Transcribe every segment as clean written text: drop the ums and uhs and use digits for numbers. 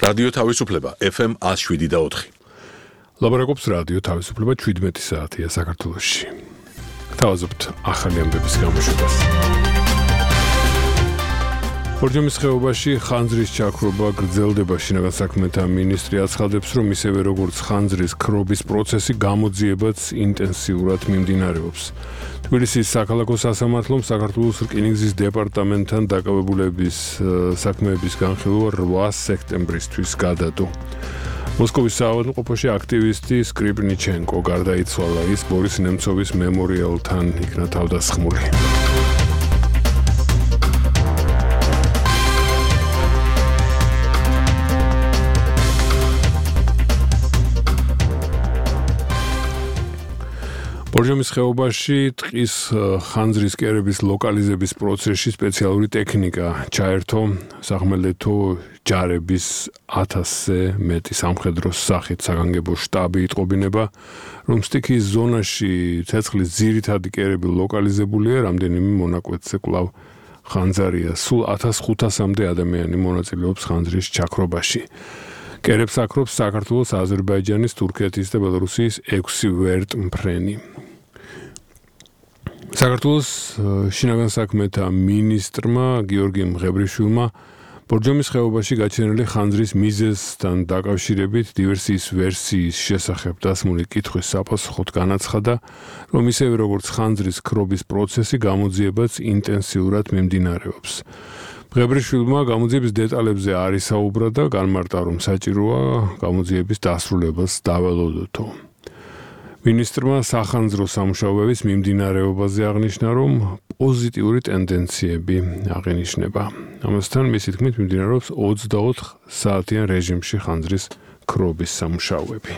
რადიო თავისუფლება FM 107.4. ლაბორატორიის რადიო თავისუფლება 17 საათია საქართველოში. თავაზობთ ახალი ამბების გამოშვებას. ბორჯომის ხეობაში ხანძრის ჩაქრობა გრძელდება. შინაგან საქმეთა მინისტრი აცხადებს, რომ ისევე როგორც ხანძრის ქრობის პროცესი გამოძიებაც ინტენსიურად მიმდინარეობს. თბილისის საქალაქო სასამართლომ საქართველოს რკინიგზის დეპარტამენტთან დაკავებულების საქმეების განხილვა 8 სექტემბრისთვის გადადო. მოსკოვის საავადმყოფოში აქტივისტი სკრიპნიჩენკო გარდაიცვალა. ის ბორის ნემცოვის მემორიალთან იქნა თავდასხმული. ბორჯომის ხეობაში ტყის ხანძრის კერების ლოკალიზების პროცესში სპეციალური ტექნიკა ჩაერთო სახმელეთო ჯარების 1000-ზე მეტი სამხედროს სახით საგანგებო შტაბი იტყობინება, რომ სტიქის ზონაში ცეცხლის ძირითადი კერები ლოკალიზებულია, რამდენიმე მონაკვეთზე კვლავ ხანძარია. სულ 1500-მდე ადამიანი მონაწილეობს ხანძრის ჩაქრობაში. კერებს აკრობს საქართველოს, აზერბაიჯანის, თურქეთის და ბელორუსიის 6 ვერტმფრენი. საქართველოს შინაგან საქმეთა მინისტრმა გიორგი მღებრიშვილმა ბორჯომის ხეობაში გაჩენილი ხანძრის მიზეზთან დაკავშირებით დივერსიის ვერსიის შესახებ დასმული კითხვის საპასუხოდ განაცხადა, რომ ისევე როგორც ხანძრის ქრობის პროცესი გამოძიებაც ინტენსიურად მიმდინარეობს. მღებრიშვილმა გამოძიების დეტალებზე არ ისაუბრა და განმარტა, რომ საჭიროა გამოძიების დასრულებას დაველოდოთო. მინისტრმა სახანძრო სამუშაოების მიმდინარეობაზე აღნიშნა, რომ პოზიტიური ტენდენციები აღინიშნება. ამასთან მისი თქმით მიმდინარეობს 24 საათიან რეჟიმში ხანძრის ქრობის სამუშაოები.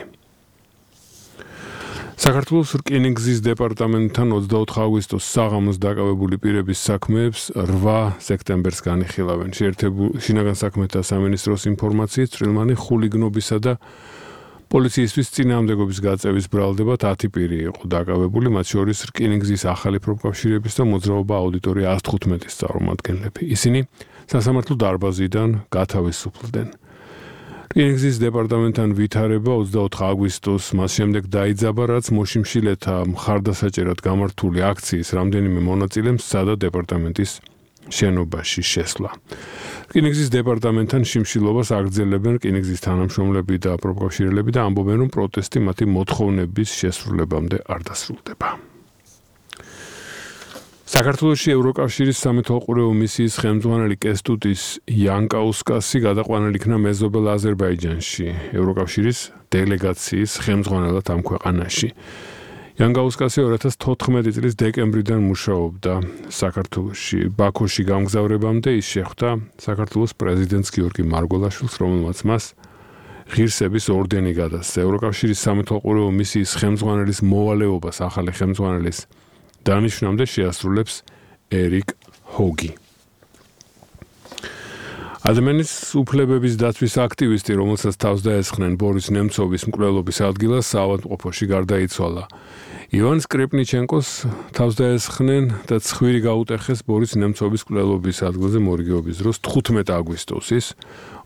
საქართველოს რკინიგზის დეპარტამენტთან 24 აგვისტოს საღამოს დაკავებული პირების საქმეებს 8 სექტემბერს განიხილავენ. შინაგან საქმეთა სამინისტროს ინფორმაციით წვრილმანი ხულიგნობისა და პოლიციისთვის წინააღმდეგობის გაწევის ბრალდებად 10 პირი იყო დაკავებული, მათ შორის რკინიგზის ახალი პროფკავშირების და მოძრაობა აუდიტორია 115-ის წარმომადგენლები. ისინი სასამართლო დარბაზიდან გათავისუფლდნენ. რკინიგზის დეპარტამენტთან ვითარება 24 აგვისტოს მას შემდეგ დაიძაბა, რაც მოშიმშილეთა მხარდასაჭერად გამართული აქციის რამდენიმე მონაწილემ სცადა დეპარტამენტის შენობაში შესვლა. რკინიგზის დეპარტამენტთან შიმშილობას აგრძელებენ რკინიგზის თანამშრომლები და პროფკავშირელები და ამბობენ, რომ პროტესტი მათი მოთხოვნების შესრულებამდე არ დასრულდება. საქართველოში ევროკავშირის სამეთვალყურეო მისიის ხელმძღვანელი კესტუტის იანკაუსკასი გადაყვანილ იქნა მეზობელ აზერბაიჯანში, ევროკავშირის დელეგაციის ხელმძღვანელად ამ ქვეყანაში. იანკაუსკასი 2014 წლის დეკემბრიდან მუშაობდა საქართველოში. ბაქოში გამგზავრებამდე ის შეხვდა საქართველოს პრეზიდენტს გიორგი მარგველაშვილს, რომელმაც მას ღირსების ორდენი გადასცა. ევროკავშირის სამეთვალყურეო მისიის ხელმძღვანელის მოვალეობას ახალი ხელმძღვანელის დანიშვნამდე შეასრულებს ერიკ ჰოგი. ადამიანის უფლებების დაცვის აქტივისტი, რომელსაც თავს დაესხნენ ბორის ნემცოვის მკვლელობის ადგილას, საავადმყოფოში გარდაიცვალა. ივან სკრიპნიჩენკოს თავს დაესხნენ და ცხვირი გაუტეხეს ბორის ნემცოვის მკვლელობის ადგილზე მორიგეობის დროს 15 აგვისტოს, ის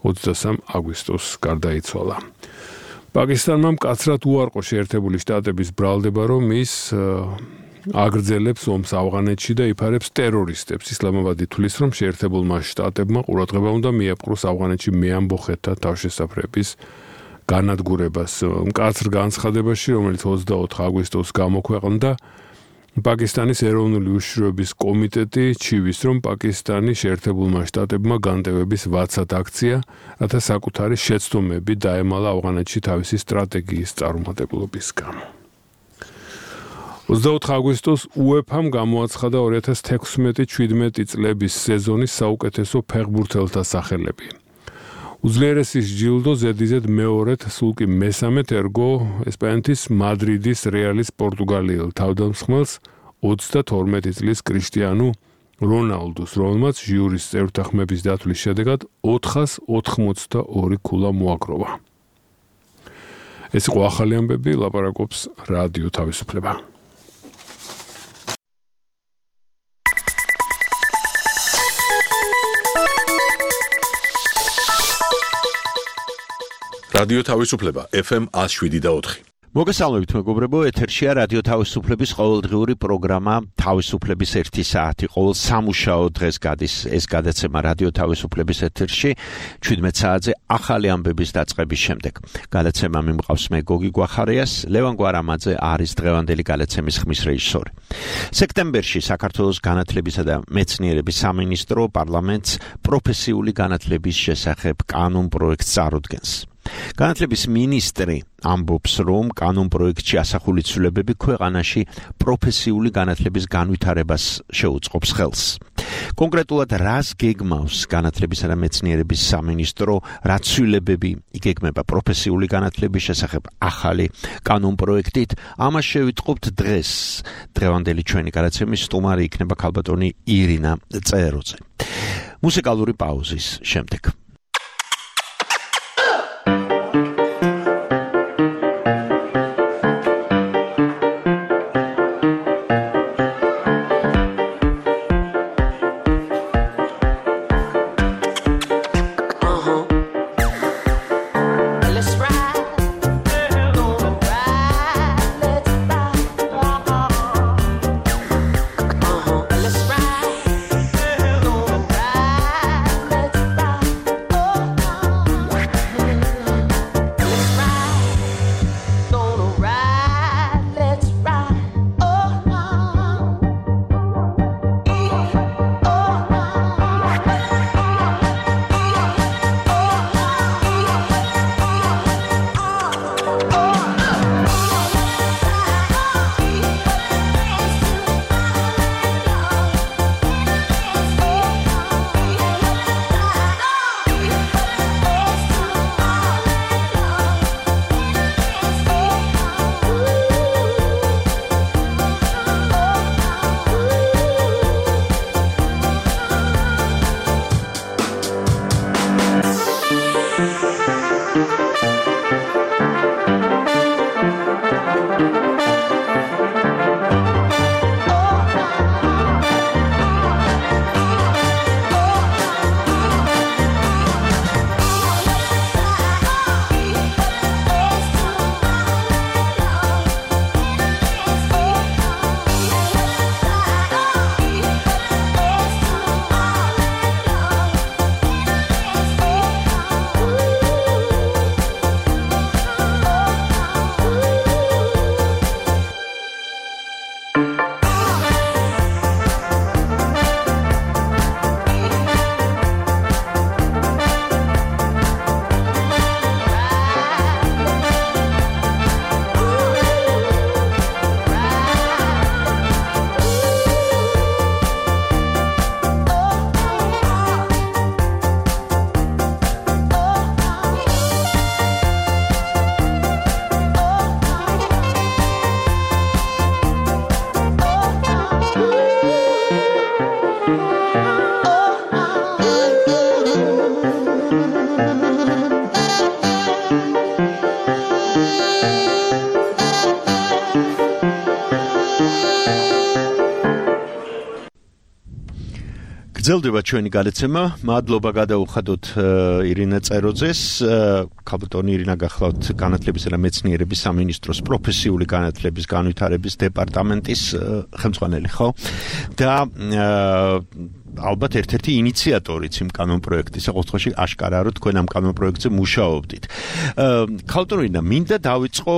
23 აგვისტოს გარდაიცვალა. პაკისტანმა მკაცრად უარყო შეერთებული შტატების ბრალდება, რომ ის აგრძელებს ომს ავღანეთში და იფარებს ტერორისტებს. ისლამაბადი თვლის, რომ შეერთებულმა შტატებმა ყურადღება უნდა მიაპყროს ავღანეთში მეამბოხეთთა თავშესაფრების განადგურებას. მკაცრ განცხადებაში, რომელიც 24 აგვისტოს გამოქვეყნდა, პაკისტანის ეროვნული უშიშროების კომიტეტი ჩივის, რომ პაკისტანი შეერთებულმა შტატებმა განტევების ვაცად აქცია, რათა საკუთარი შეცდომები დაემალა ავღანეთში თავისი სტრატეგიის წარუმატებლობის გამო. 24 აგვისტოს უეფამ გამოაცხადა 2016-17 წლების სეზონის საუკეთესო ფეხბურთელთა სახელები. უძლიერესის ჯილდო ზედიზედ მეორედ, სულ კი მესამედ ერგო ესპანეთის მადრიდის რეალის პორტუგალიელ თავდამსხმელს 32 წლის კრიშტიანუ რონალდუს, რომელმაც ჟიურის წევრთა ხმების დათვლის შედეგად 482 ქულა მოაგროვა. ეს იყო ახალი ამბები, ლაპარაკობს რადიო თავისუფლება. რადიო თავისუფლება FM 107.4. მოგესალმებით მეგობრებო, ეთერშია რადიო თავისუფლების ყოველდღიური პროგრამა თავისუფლების 1 საათი. ყოველ სამუშაო დღეს გადის ეს გადაცემა რადიო თავისუფლების ეთერში 17 საათზე ახალი ამბების დაწყების შემდეგ. გადაცემა მიმყავს მე გოგი გვახარიას, ლევან გვარამაძე არის დღევანდელი გადაცემის ხმის რეჟისორი. სექტემბერში საქართველოს განათლებისა და მეცნიერების სამინისტრო პარლამენტს პროფესიული განათლების შესახებ კანონ პროექტს წარუდგენს. განათლების მინისტრი ამბობს, რომ კანონ პროექტში ასახული ცვლილებები ქვეყანაში პროფესიული განათლების განვითარებას შეუწყობს ხელს. კონკრეტულად რას გეგმავს განათლებისა და მეცნიერების სამინისტრო, რა ცვლილებები იგეგმება პროფესიული განათლების შესახებ ახალი კანონ პროექტით, ამას შევიტყობთ დღეს. დღევანდელი ჩვენი გადაცემის სტუმარი იქნება ქალბატონი ირინა წეროძე. მუსიკალური პაუზის შემდეგ. გრძელდება ჩვენი გადაცემა. მადლობა გადაუხადოთ ირინა წეროძეს. ქალბატონი ირინა გახლავთ განათლებისა და მეცნიერების სამინისტროს პროფესიული განათლების განვითარების დეპარტამენტის ხელმძღვანელი, ხო? და ალბათ ერთ-ერთი ინიციატორიც იმ კანონ პროექტისა, ყოველთვის აშკარაა, რომ თქვენ ამ კანონ პროექტზე მუშაობდით. ქალბატონი ირინა, მინდა დავიწყო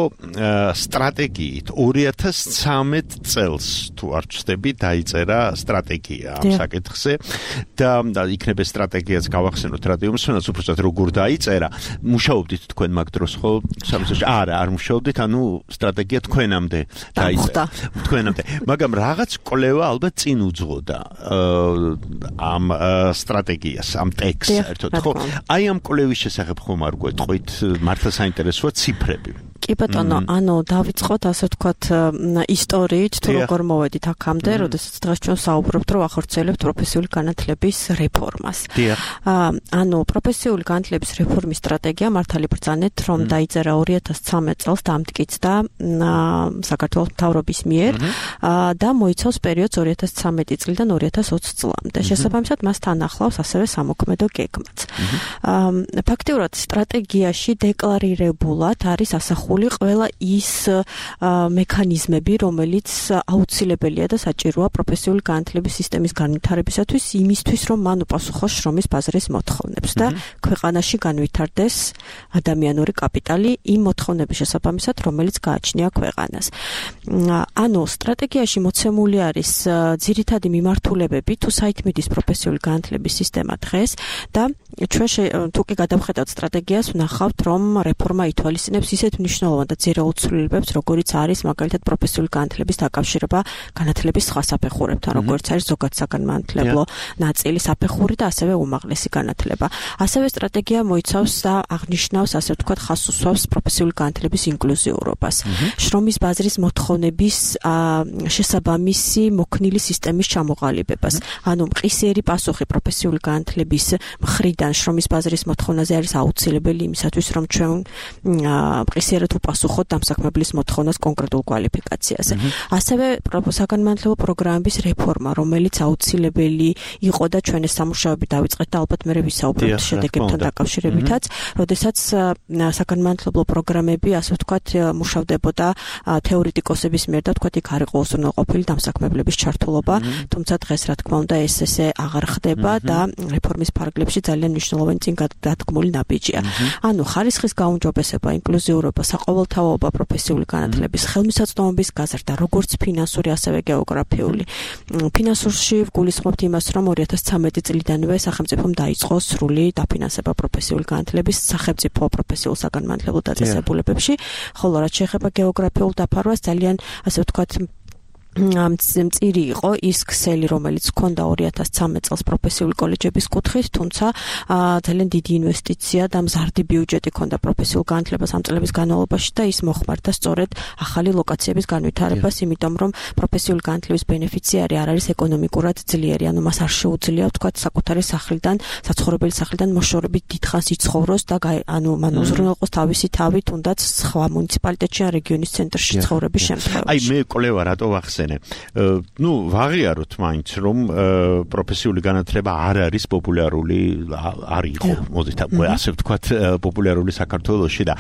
სტრატეგიით. 2013 წელს, თუ არ ვცდები, დაიწერა სტრატეგია ამ საკითხზე და იქნება სტრატეგიაც გავახსენოთ რადიომსმენელს, უბრალოდ როგორ დაიწერა. მუშაობდით თქვენ მაგ დროს, ხო? სამსახურში არ მუშაობდით, ანუ სტრატეგია თქვენამდე დაიწერა. თქვენამდე. მაგრამ რაღაც კვლევა ალბათ წინ უძღოდა ამ სტრატეგიას, ამ ტექსტს ერთად, ხო? აი ამ კვლევის შესახებ ხომ არ გვეტყვით, მართლა საინტერესოა ციფრები. კი ბატონო, ანუ დავიწყოთ ასე ვთქვათ ისტორიით, თუ როგორ მოვედით აქამდე, როდესაც დღეს ჩვენ საუბრობთ, რომ ახორციელებთ პროფესიული განათლების რეფორმას. ანუ პროფესიული განათლების რეფორმის სტრატეგია მართალი ბრძანეთ, რომ დაიწერა 2013 წელს დამტკიცდა საქართველოს მთავრობის მიერ და მოიცავს პერიოდს 2013 წლიდან 2020 წლამდე. შესაბამისად, მას თან ახლავს ასევე სამოქმედო გეგმაც. ფაქტიურად სტრატეგიაში დეკლარირებულად არის ასახული ყველა ის მექანიზმები, რომელიც აუცილებელია და საჭიროა პროფესიული განათლების სისტემის განვითარებისათვის, იმისთვის, რომ მან უპასუხოს შრომის ბაზრის მოთხოვნებს და ქვეყანაში განვითარდეს ადამიანური კაპიტალი იმ მოთხოვნების შესაბამისად, რომელიც გააჩნია ქვეყანას. ანუ სტრატეგიაში მოცემული არის ძირითადი მიმართულებები თუ საით მიდის პროფესიული განათლების სისტემა დღეს და ჩვენ თუ კი გადავხედავთ სტრატეგიას, ვნახავთ, რომ რეფორმა ითვალისწინებს ისეთ მნიშვნელოვან და ძირეუცვლილებებს, როგორიც არის მაგალითად პროფესიული განათლების დაკავშირება განათლების სხვა საფეხურებთან, როგორც არის ზოგად საგანმანათლებლო ნაწილი საფეხური და ასევე უმაღლესი განათლება. ასევე სტრატეგია მოიცავს და აღნიშნავს, ასე ვთქვათ, ხაზს უსვამს პროფესიული განათლების ინკლუზიურობას, შრომის ბაზრის მოთხოვნების შესაბამისი მოქნილი სისტემის ჩამოყალიბებას. ანუ მყისიერი პასუხი პროფესიული განათლების მხრიდან შრომის ბაზრის მოთხოვნაზე არის აუცილებელი იმისათვის, რომ ჩვენ მყისიერად უპასუხოთ დამსაქმებლის მოთხოვნას კონკრეტულ კვალიფიკაციაზე. ასევე საგანმანათლებლო პროგრამების რეფორმა, რომელიც აუცილებელი იყო და ჩვენ ეს სამუშაოები დავიწყეთ და ალბათ მე ვისაუბრებთ შედეგებთან დაკავშირებითაც, როდესაც საგანმანათლებლო პროგრამები, ასე ვთქვათ, მუშავდებოდა თეორეტიკოსების მიერ და ვთქვათ, იქ არ იყო უზრუნველყოფილი დამსაქმებლების ჩართულობა, თუმცა დღეს რა თქმა უნდა ესე აღარ ხდება და რეფორმის ფარგლებში ძალიან მნიშვნელოვანი წინ დადგმული ნაბიჯია. ანუ ხარისხის გაუმჯობესება, ინკლუზიურობა, საყოველთაოობა პროფესიული განათლების, ხელმისაწვდომობის გაზრდა, როგორც ფინანსური, ასევე გეოგრაფიული. ფინანსურში ვგულისხმობთ იმას, რომ 2013 წლიდანვე სახელმწიფომ დაიწყო სრული დაფინანსება პროფესიული განათლების სახელმწიფო პროფესიულ საგანმანათლებლო დაწესებულებებში, ხოლო რაც შეეხება გეოგრაფიულ დაფარვას, ძალიან ასე ვთქვათ მწირი იყო ის ქსელი, რომელიც ჰქონდა 2013 წელს პროფესიული კოლეჯების კუთხით, თუმცა ძალიან დიდი ინვესტიცია და მზარდი ბიუჯეტი ჰქონდა პროფესიულ განათლებას ამ წლების განმავლობაში და ის მოხმარდა სწორედ ახალი ლოკაციების განვითარებას, იმიტომ რომ პროფესიული განათლების ბენეფიციარი არ არის ეკონომიკურად ძლიერი, ანუ მას არ შეუძლია ვთქვათ საკუთარი სახლიდან, საცხოვრებელი სახლიდან მოშორებით დიდხანს იცხოვროს და ანუ მან უზრუნველყოს თავისი თავი, თუნდაც სხვა მუნიციპალიტეტში ან რეგიონის ცენტრში ცხოვრების შემთხვევაში. აი მე კვლევა რატო ვახსენე? ვაღიაროთ მაინც, რომ პროფესიული განათლება არ არის პოპულარული, არ იყო, მოდით ასე ვთქვათ, პოპულარული საქართველოში და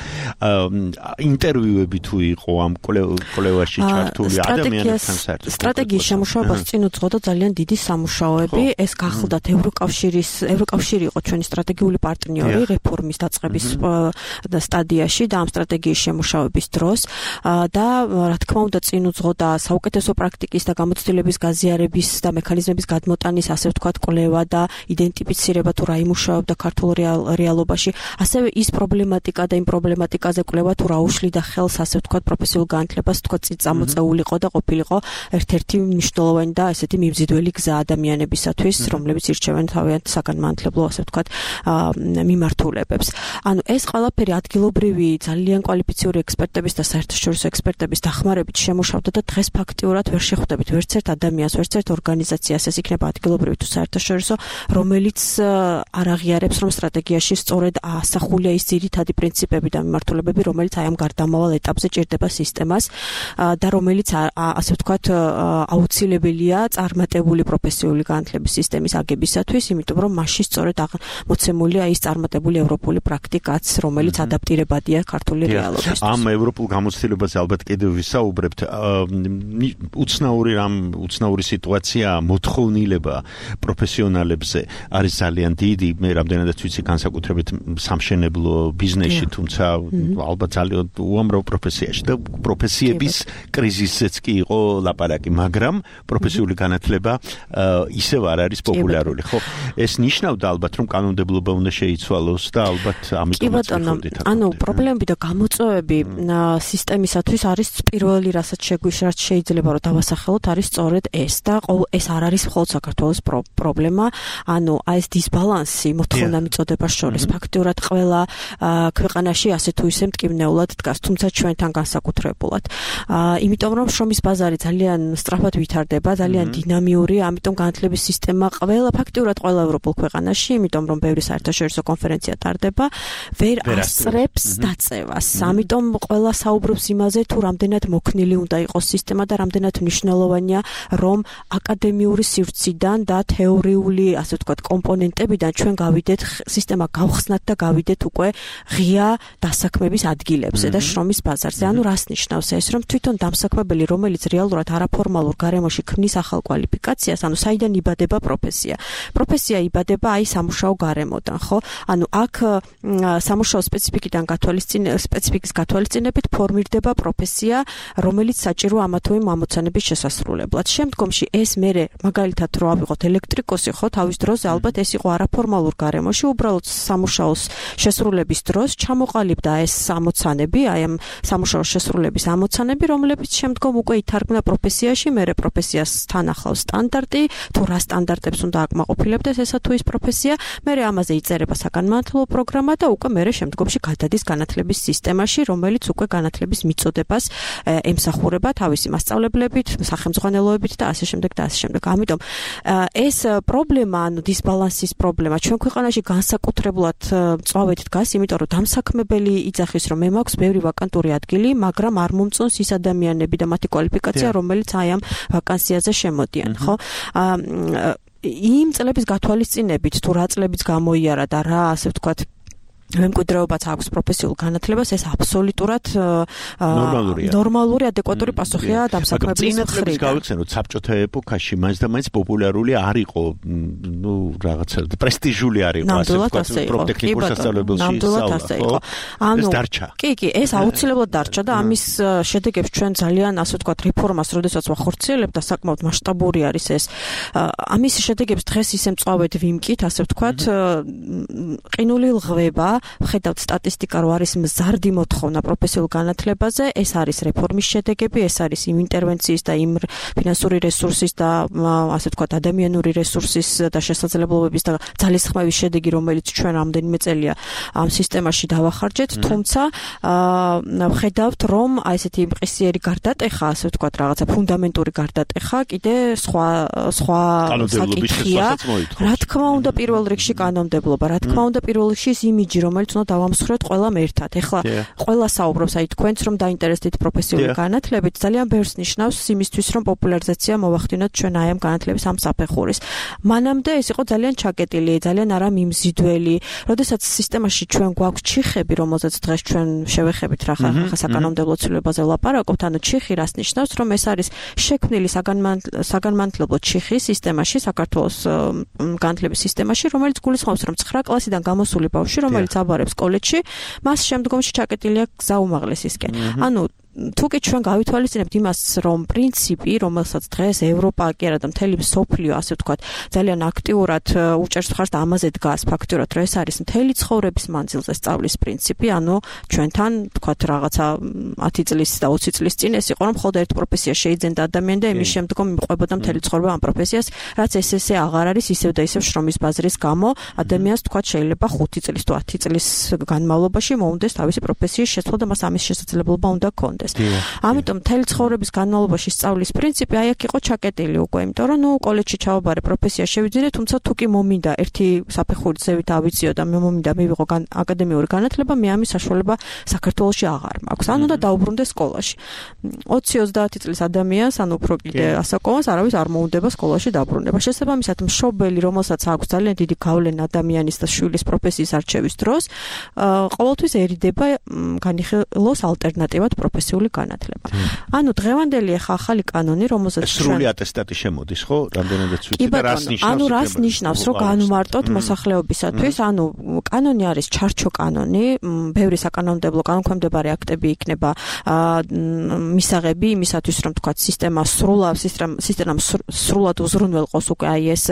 ინტერვიუები თუ იყო ამ კვლევაში ჩართული ადამიანებთან საერთოდ. სტრატეგიის შემუშავებას წინ უძღოდა ძალიან დიდი სამუშაოები, ეს გახლდათ ევროკავშირი იყო ჩვენი სტრატეგიული პარტნიორი რეფორმის დაწყების სტადიაში და ამ სტრატეგიის შემუშავების დროს და რა თქმა უნდა წინ უძღოდა საუკეთესო პრაქტიკის და გამოცდილების გაზიარების და მექანიზმების გადმოტანის, ასე ვთქვათ, კვლევა და იდენტიფიცირება თუ რა იმუშავებდა ქართულ რეალობაში, ასევე ის პრობლემატიკა და იმ პრობლემატიკაზე კვლევა თუ რა უშლიდა ხელს, ასე ვთქვათ, პროფესიულ განათლებას, ვთქვათ, წამოწეულიყო და ყოფილიყო ერთ-ერთი მნიშვნელოვანი და ესეთი მიმზიდველი გზა ადამიანებისათვის, რომლებიც ირჩევენ თავიანთ საგანმანათლებლო, ასე ვთქვათ, მიმართულებებს. ანუ ეს ყველაფერი ადგილობრივი ძალიან კვალიფიციური ექსპერტების და საერთაშორისო ექსპერტების დახმარებით შემუშავდა და დღეს ფაქტიურად ვერ შეხვდებით ვერც ერთ ადამიანს, ვერც ერთ ორგანიზაციას, ეს იქნება ადგილობრივი თუ საერთაშორისო, რომელიც არ აღიარებს, რომ სტრატეგიაში სწორედ ასახულია ის ძირითადი პრინციპები და მიმართულებები, რომელიც აი ამ გარდამავალ ეტაპზე ჭირდება სისტემას და რომელიც ასე ვთქვათ აუცილებელია წარმატებული პროფესიული განათლების სისტემის აგებისათვის, იმიტომ რომ მასში სწორედ მოცემულია ის წარმატებული ევროპული პრაქტიკაც, რომელიც ადაპტირებადია ქართული რეალობისთვის. ამ ევროპულ გამოცდილებაზე ალბათ კიდევ ვისაუბრებთ. უცნაური სიტუაცია, მოთხოვნილება პროფესიონალებზე არის ძალიან დიდი. მე რამდენადაც ვიცი, განსაკუთრებით სამშენებლო ბიზნესში, თუმცა ალბათ ძალიან უამრავ პროფესიაში და პროფესიების კრიზისიც კი იყო ლაპარაკი, მაგრამ პროფესიული განათლება ისევ არ არის პოპულარული. ხო, ეს ნიშნავდა ალბათ, რომ კანონმდებლობა უნდა შეიცვალოს და ალბათ ამიტომაც ვიხდით. ანუ პრობლემები და გამოწვევები სისტემისათვის არის პირველი, რასაც შეიძლება რომ დავასახელოთ არის სწორედ ეს და ეს არ არის მხოლოდ საქართველოს პრობლემა, ანუ ეს დისბალანსი მოთხოვნა მიწოდებას შორის ფაქტიურად ყველა ქვეყანაში ასე თუ ისე მტკივნეულად დგას, თუმცა ჩვენთან განსაკუთრებულად. იმიტომ რომ შრომის ბაზარი ძალიან სწრაფად ვითარდება, ძალიან დინამიური, ამიტომ განათლების სისტემა ფაქტიურად ყველა ევროპულ ქვეყანაში, იმიტომ რომ ბევრი საერთაშორისო კონფერენცია ტარდება, ვერ ასწრებს დაწევას. ამიტომ ყველა საუბრობს იმაზე, თუ რამდენად მოქნილი უნდა იყოს სისტემა და რამდენად მნიშვნელოვანია, რომ აკადემიური სივრციდან და თეორიული, ასე ვთქვათ, კომპონენტებიდან ჩვენ გავიდეთ სისტემა გავხსნათ და გავიდეთ უკვე ღია დასაქმების ადგილებზე და შრომის ბაზარზე. ანუ რას ნიშნავს ეს, რომ თვითონ დამსაქმებელი, რომელიც რეალურად არაფორმალურ გარემოში ქმნის ახალ კვალიფიკაციას, ანუ საიდან იბადება პროფესია. პროფესია იბადება აი სამუშაო გარემოდან, ხო? ანუ აქ სამუშაო სპეციფიკის გათვალისწინებით ფორმირდება პროფესია, რომელიც საჭირო ამა თუ იმ ამოცანების შესასრულებლად. შემდგომში ეს მერე მაგალითად რო ავიღოთ ელექტრიკოსი, ხო, თავის დროზე ალბათ ეს იყო არაფორმალურ გარემოში, უბრალოდ სამუშაოს შესრულების დროს ჩამოყალიბდა ეს ამოცანები, აი ამ სამუშაოს შესრულების ამოცანები, რომლებიც შემდგომ უკვე ითარგმნა პროფესიაში, მერე პროფესიასთან ახლავს სტანდარტი, თუ რა სტანდარტებს უნდა აკმაყოფილებდეს ესა თუ ის პროფესია, მერე ამაზე იწერება საგანმანათლებლო პროგრამა და უკვე მერე შემდგომში გადადის განათლების სისტემაში, რომელიც უკვე განათლების მიწოდებას ემსახურება თავისი მასწავლებლებით, სახელმძღვანელოებით და ასე შემდეგ და ასე შემდეგ. ამიტომ ეს პრობლემა, ანუ დისბალანსის პრობლემა ჩვენ ქვეყანაში განსაკუთრებულად მწვავედ დგას, იმიტომ რომ დამსაქმებელი იძახის, რომ მე მაქვს ბევრი ვაკანტური ადგილი, მაგრამ არ მომწონს ის ადამიანები და მათი კვალიფიკაცია, რომელიც აი ამ ვაკანსიაზე შემოდიან, ხო? იმ წლების გათვალისწინებით, თუ რა წლებიც გამოიარა და რა, ასე ვთქვათ, მემკვიდრეობაც აქვს პროფესიულ განათლებას, ეს აბსოლუტურად ნორმალური, ადეკვატური პასუხია დამსაქმებლის მხრიდან. გავიხსენოთ, საბჭოთა ეპოქაში მაინც და მაინც პოპულარული არ იყო, ნუ რაღაცა პრესტიჟული არ იყო, ასე ვთქვათ, პროფტექნიკურ სასწავლებელში სწავლა. ეს დარჩა. კი, ეს აუცილებლად დარჩა და ამის შედეგებს ჩვენ ძალიან, ასე ვთქვათ, რეფორმას, როდესაც ვახორციელებთ და საკმაოდ მასშტაბური არის ეს. ამის შედეგებს დღეს ისე მწვავედ ვიმკით, ასე ვთქვათ, ყინული ლღვება. ვხედავთ სტატისტიკა, რომ არის მზარდი მოთხოვნა პროფესიულ განათლებაზე, ეს არის რეფორმის შედეგები, ეს არის იმ ინტერვენციის და იმ ფინანსური რესურსის და ასე ვთქვათ, ადამიანური რესურსის და შესაძლებლობების და ძალისხმევის შედეგი, რომელიც ჩვენ რამდენიმე წელია ამ სისტემაში დავახარჯეთ, თუმცა ვხედავთ, რომ აი ესეთი მყისიერი გარდატეხა, ასე ვთქვათ, რაღაცა ფუნდამენტური გარდატეხა კიდე სხვა საკითხია. რა თქმა უნდა, პირველ რიგში კანონმდებლობა, რა თქმა უნდა, პირველ რიგში ის იმიჯი, რომელიც უნდა დავამსხვროთ ყველამ ერთად. ეხლა ყველა საუბრობს აი თქვენც რომ დაინტერესდით პროფესიული განათლებით, ძალიან ბევრს ნიშნავს იმისთვის, რომ პოპულარიზაცია მოვახდინოთ ჩვენ აი ამ განათლების ამ საფეხურის. მანამდე ეს იყო ძალიან ჩაკეტილი, ძალიან არა მიმზიდველი. როდესაც სისტემაში ჩვენ გვაქვს ჩიხები, რომელზეც დღეს ჩვენ შევეხებით რა ხა საკანონმდებლო ცვლილებაზე ვლაპარაკობთ, ანუ ჩიხი რას ნიშნავს, რომ ეს არის შექმნილი საგანმანათლებლო ჩიხი სისტემაში, საქართველოს განათლების სისტემაში, რომელიც გულისხმობს, რომ 9 კლასიდან გამოსული ბავშვი, რომელიც აბარებს კოლეჯში, მას შემდგომში ჩაკეტილია გზა უმაღლესისკენ. ანუ თუკი ჩვენ გავითვალისწინებთ იმას, რომ პრინციპი, რომელსაც დღეს ევროპა კი არა და მთელი მსოფლიო, ასე ვთქვათ, ძალიან აქტიურად უჭერს მხარს და ამაზე დგას ფაქტურად, რომ ეს არის მთელი ცხოვრების მანძილზე სწავლის პრინციპი, ანუ ჩვენთან, ვთქვათ, რაღაცა 10 წლის და 20 წლის წინ ეს იყო, რომ მხოლოდ ერთ პროფესიას შეიძენდა ადამიანი და იმის შემდგომ იმყოფებოდა მთელი ცხოვრება ამ პროფესიას, რაც ესე აღარ არის, ისევ და ისევ შრომის ბაზრის გამო ადამიანს, ვთქვათ, შეიძლება 5 წლის თუ 10 წლის განმავლობაში მოუნდეს თავისი პროფესიის შეცვლა და მას ამის შესაძლებლობა უნდა ჰქონდეს. ამიტომ მთელი ცხოვრების განმავლობაში სწავლის პრინციპი აი აქ იყო ჩაკეტილი უკვე, იმიტომ რომ ნუ კოლეჯში ჩავაბარე, პროფესია შევიძინე, თუმცა თუ კი მომინდა ერთი საფეხურით ზევით ავიწიო და მე მომინდა მივიღო აკადემიური განათლება, მე ამის საშუალება საქართველოში აღარ მაქვს. ანუ და დაუბრუნდე სკოლაში. 20-30 წლის ადამიანს, ანუ უფრო კიდე ასაკოვანს არავის არ მოუნდება სკოლაში დაბრუნება. შესაბამისად, მშობელი, რომელსაც აქვს ძალიან დიდი გავლენა ადამიანის და შვილის პროფესიის არჩევის დროს, ყოველთვის ერიდება განიხილოს ალტერნატივად პროფესიული განათლება. ანუ დღევანდელი ახალი კანონი, რომელზეც სრული ატესტატი შემოდის, ხო? რამდენადაც ვიცი და რას ნიშნავს? ანუ რას ნიშნავს, რომ განვმარტოთ მოსახლეობისათვის? ანუ კანონი არის ჩარჩო კანონი, ბევრი საკანონმდებლო კანონქვემდებარე აქტები იქნება მისაღები იმისათვის, რომ თქვა სისტემა სრულად უზრუნველყოს უკვე აი ეს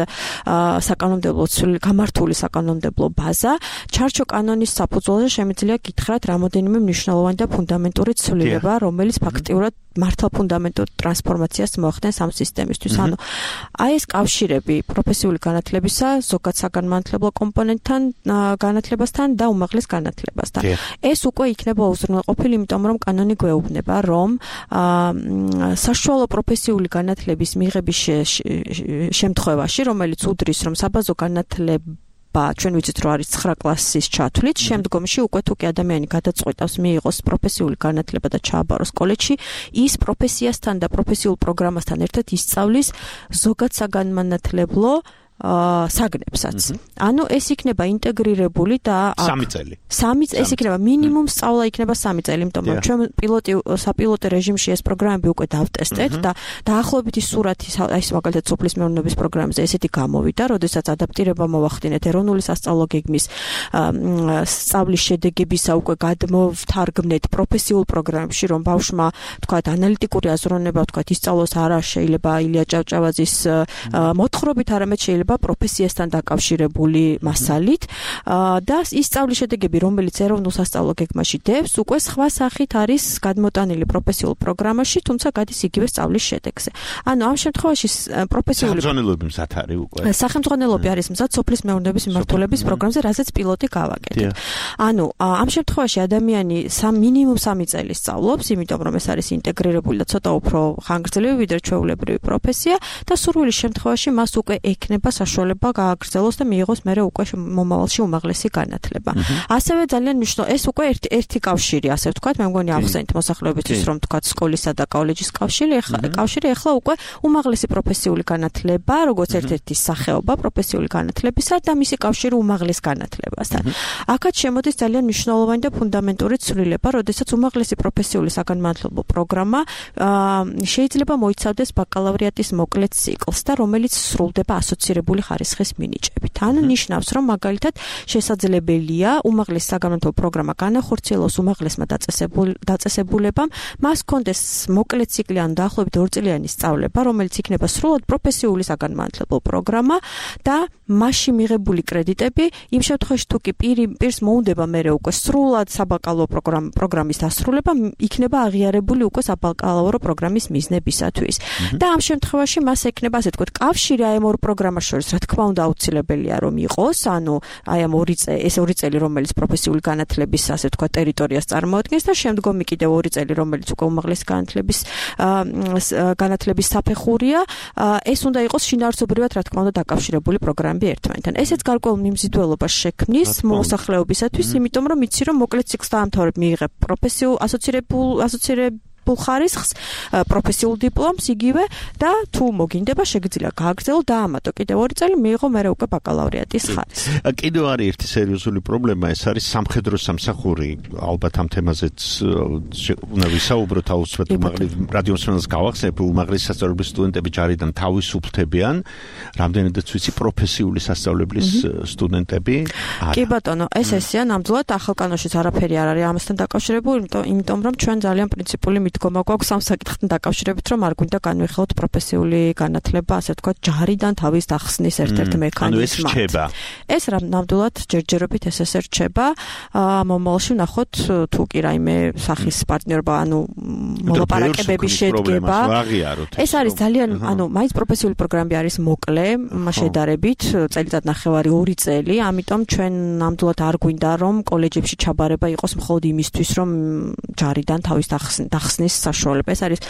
საკანონმდებლო გამართული საკანონმდებლო ბაზა. ჩარჩო კანონის საფუძველზე შემიძლია გითხრათ რამოდენიმე მნიშვნელოვანი და ფუნდამენტური ცვლილება, იქნება, რომელიც ფაქტიურად მართლა ფუნდამენტურ ტრანსფორმაციას მოახდენს ამ სისტემისთვის. ანუ აი ეს კავშირები პროფესიული განათლებისა, ზოგად საგანმანათლებლო კომპონენტთან, განათლებასთან და უმაღლეს განათლებასთან. ეს უკვე იქნება უზრუნველყოფილი, იმიტომ რომ კანონი გვეუბნება, რომ საშუალო პროფესიული განათლების მიღების შემთხვევაში, რომელიც უდრის, რომ საბაზო განათლება ჩვენ ვიცით რომ არის 9 კლასის ჩათვლით, შემდგომში უკვე თუ კი ადამიანი გადაწყვეტავს მიიღოს პროფესიული განათლება და ჩააბაროს კოლეჯში, ის პროფესიასთან და პროფესიულ პროგრამასთან ერთად ისწავლის ზოგად საგანმანათლებლო საგნებსაც. ანუ ეს იქნება ინტეგრირებული და 3 წელი. ეს იქნება მინიმუმ სწავლა იქნება 3 წელი, იმიტომ რომ ჩვენ საპილოტო რეჟიმში ეს პროგრამები უკვე დავტესტეთ და დაახლოებითი სურათი აი ეს მაგალითად სოფლის მეურნეობის პროგრამაზე ესეთი გამოვიდა, როდესაც ადაპტირება მოვახდინეთ ეროვნული სასწავლო გეგმის სწავლის შედეგებისა უკვე გადმოვთარგმნეთ პროფესიულ პროგრამებში, რომ ბავშვმა თქვათ ანალიტიკური აზროვნება თქვათ ისწავლოს არა შეიძლება ილია ჭავჭავაძის მოთხრობით, არამედ შეიძლება პროფესიასთან დაკავშირებული მასალით და ის სწავლის შედეგები, რომელიც ეროვნულ სასწავლო გეგმაში დევს, უკვე სხვა სახით არის გადმოტანილი პროფესიულ პროგრამაში, თუმცა გადის იგივე სწავლის შედეგზე. ანუ ამ შემთხვევაში პროფესიული სახელმძღვანელოები მზად არის უკვე. სახელმძღვანელოები არის მზად სოფლის მეურნეობის მიმართულების პროგრამზე, რასაც პილოტი გავაკეთეთ. ანუ ამ შემთხვევაში ადამიანი მინიმუმ 3 წელი სწავლობს, იმიტომ რომ ეს არის ინტეგრირებული და ცოტა უფრო ხანგრძლივი ვიდრე ჩვეულებრივი პროფესია და სურვილის შემთხვევაში მას უკვე ექნება საშუალება გააგრძელოს და მიიღოს მერე უკვე მომავალში უმაღლესი განათლება. ასევე ძალიან მნიშვნელოვანი ეს უკვე ერთი კავშირი, ასე ვთქვათ, მე მგონი ახსენეთ მოსახლეობისთვის, რომ ვთქვათ სკოლისა და კოლეჯის კავშირი, ახლა უკვე უმაღლესი პროფესიული განათლება, როგორც ერთ-ერთი სახეობა პროფესიული განათლებისა და მისი კავშირი უმაღლეს განათლებასთან. აქაც შემოდის ძალიან მნიშვნელოვანი და ფუნდამენტური ცვლილება, როდესაც უმაღლესი პროფესიული საგანმანათლებლო პროგრამა შეიძლება მოიცავდეს ბაკალავრიატის მოკლე ციკლს და რომელიც სრულდება ასოცირებული ხარისხის მინიჭებით. ანუ ნიშნავს, რომ მაგალითად შესაძლებელია უმაღლეს საგანმანათლებლო პროგრამა განახორციელოს უმაღლესმა დაწესებულებამ, მას ჰქონდეს მოკლე ციკლი ან დაახლოებით 2 წლიანი სწავლება, რომელიც იქნება სრულად პროფესიული საგანმანათლებლო პროგრამა და მასში მიღებული კრედიტები იმ შემთხვევაში თუ კი პირს მოუნდება მერე უკვე სრულად საბაკალავრო პროგრამის დასრულება, იქნება აღიარებული უკვე საბაკალავრო პროგრამის მიზნებისათვის. და ამ შემთხვევაში მას ექნება ასე ვთქვათ კავშირი აი ამ ორ პროგრამას შორის, რა თქმა უნდა, აუცილებელია რომ იყოს, ანუ აი ამ 2 წელი, რომელიც პროფესიული განათლების ასე ვთქვათ ტერიტორიას წარმოადგენს და შემდგომი კიდევ 2 წელი, რომელიც უკვე უმაღლესი განათლების საფეხურია, ეს უნდა იყოს შინაარსობრივად, რა თქმა უნდა, დაკავშირებული პროგრამები ერთმანეთთან. ესეც გარკვეულ მიმზიდველობას შექმნის მოსახლეობისათვის, იმიტომ რომ იცი რომ მოკლე ციკლს დაამთავრებ, მიიღებ პროფესიულ ასოცირებულ ხარისხს, პროფესიულ დიპლომს იგივე და თუ მოგინდება შეგიძლია გააგრძელო და ამატო კიდევ 2 წელი მიიღო მერე უკვე ბაკალავრიატის ხარისხი. კიდევ არის ერთი სერიოზული პრობლემა, ეს არის სამხედრო სამსახური. ალბათ ამ თემაზეც უნდა ვისაუბროთ, აუცილებლად უმაღლეს რადიომსმენელს გავახსენებ, რომ უმაღლესი სასწავლებლის სტუდენტები ჯარიდან თავისუფლდებიან, რამდენადაც ვიცი პროფესიული სასწავლებლის სტუდენტები არა. კი ბატონო, ეს ესეა ნამდვილად ახალ კანონშიც არაფერი არ არის ამასთან დაკავშირებული, იმიტომ რომ ჩვენ ძალიან პრინციპული მიდგომა გვაქვს ამ საკითხთან დაკავშირებით, რომ არ გვინდა განვიხილოთ პროფესიული განათლება, ასე ვთქვათ, ჯარიდან თავის დახსნის ერთ-ერთ მექანიზმად. ანუ ეს რჩება. ეს ნამდვილად ჯერჯერობით ეს რჩება. მომავალში ვნახოთ თუ კი რაიმე სახის პარტნიორობა, ანუ მოლაპარაკებები შედგება. ეს არის ძალიან, ანუ მაინც პროფესიული პროგრამები არის მოკლე, შედარებით, წელიწად ნახევარი 2 წელი, ამიტომ ჩვენ ნამდვილად არ გვინდა რომ კოლეჯებში ჩაბარება იყოს მხოლოდ იმისთვის, რომ ჯარიდან თავის დახსნის საშუალება. ეს არის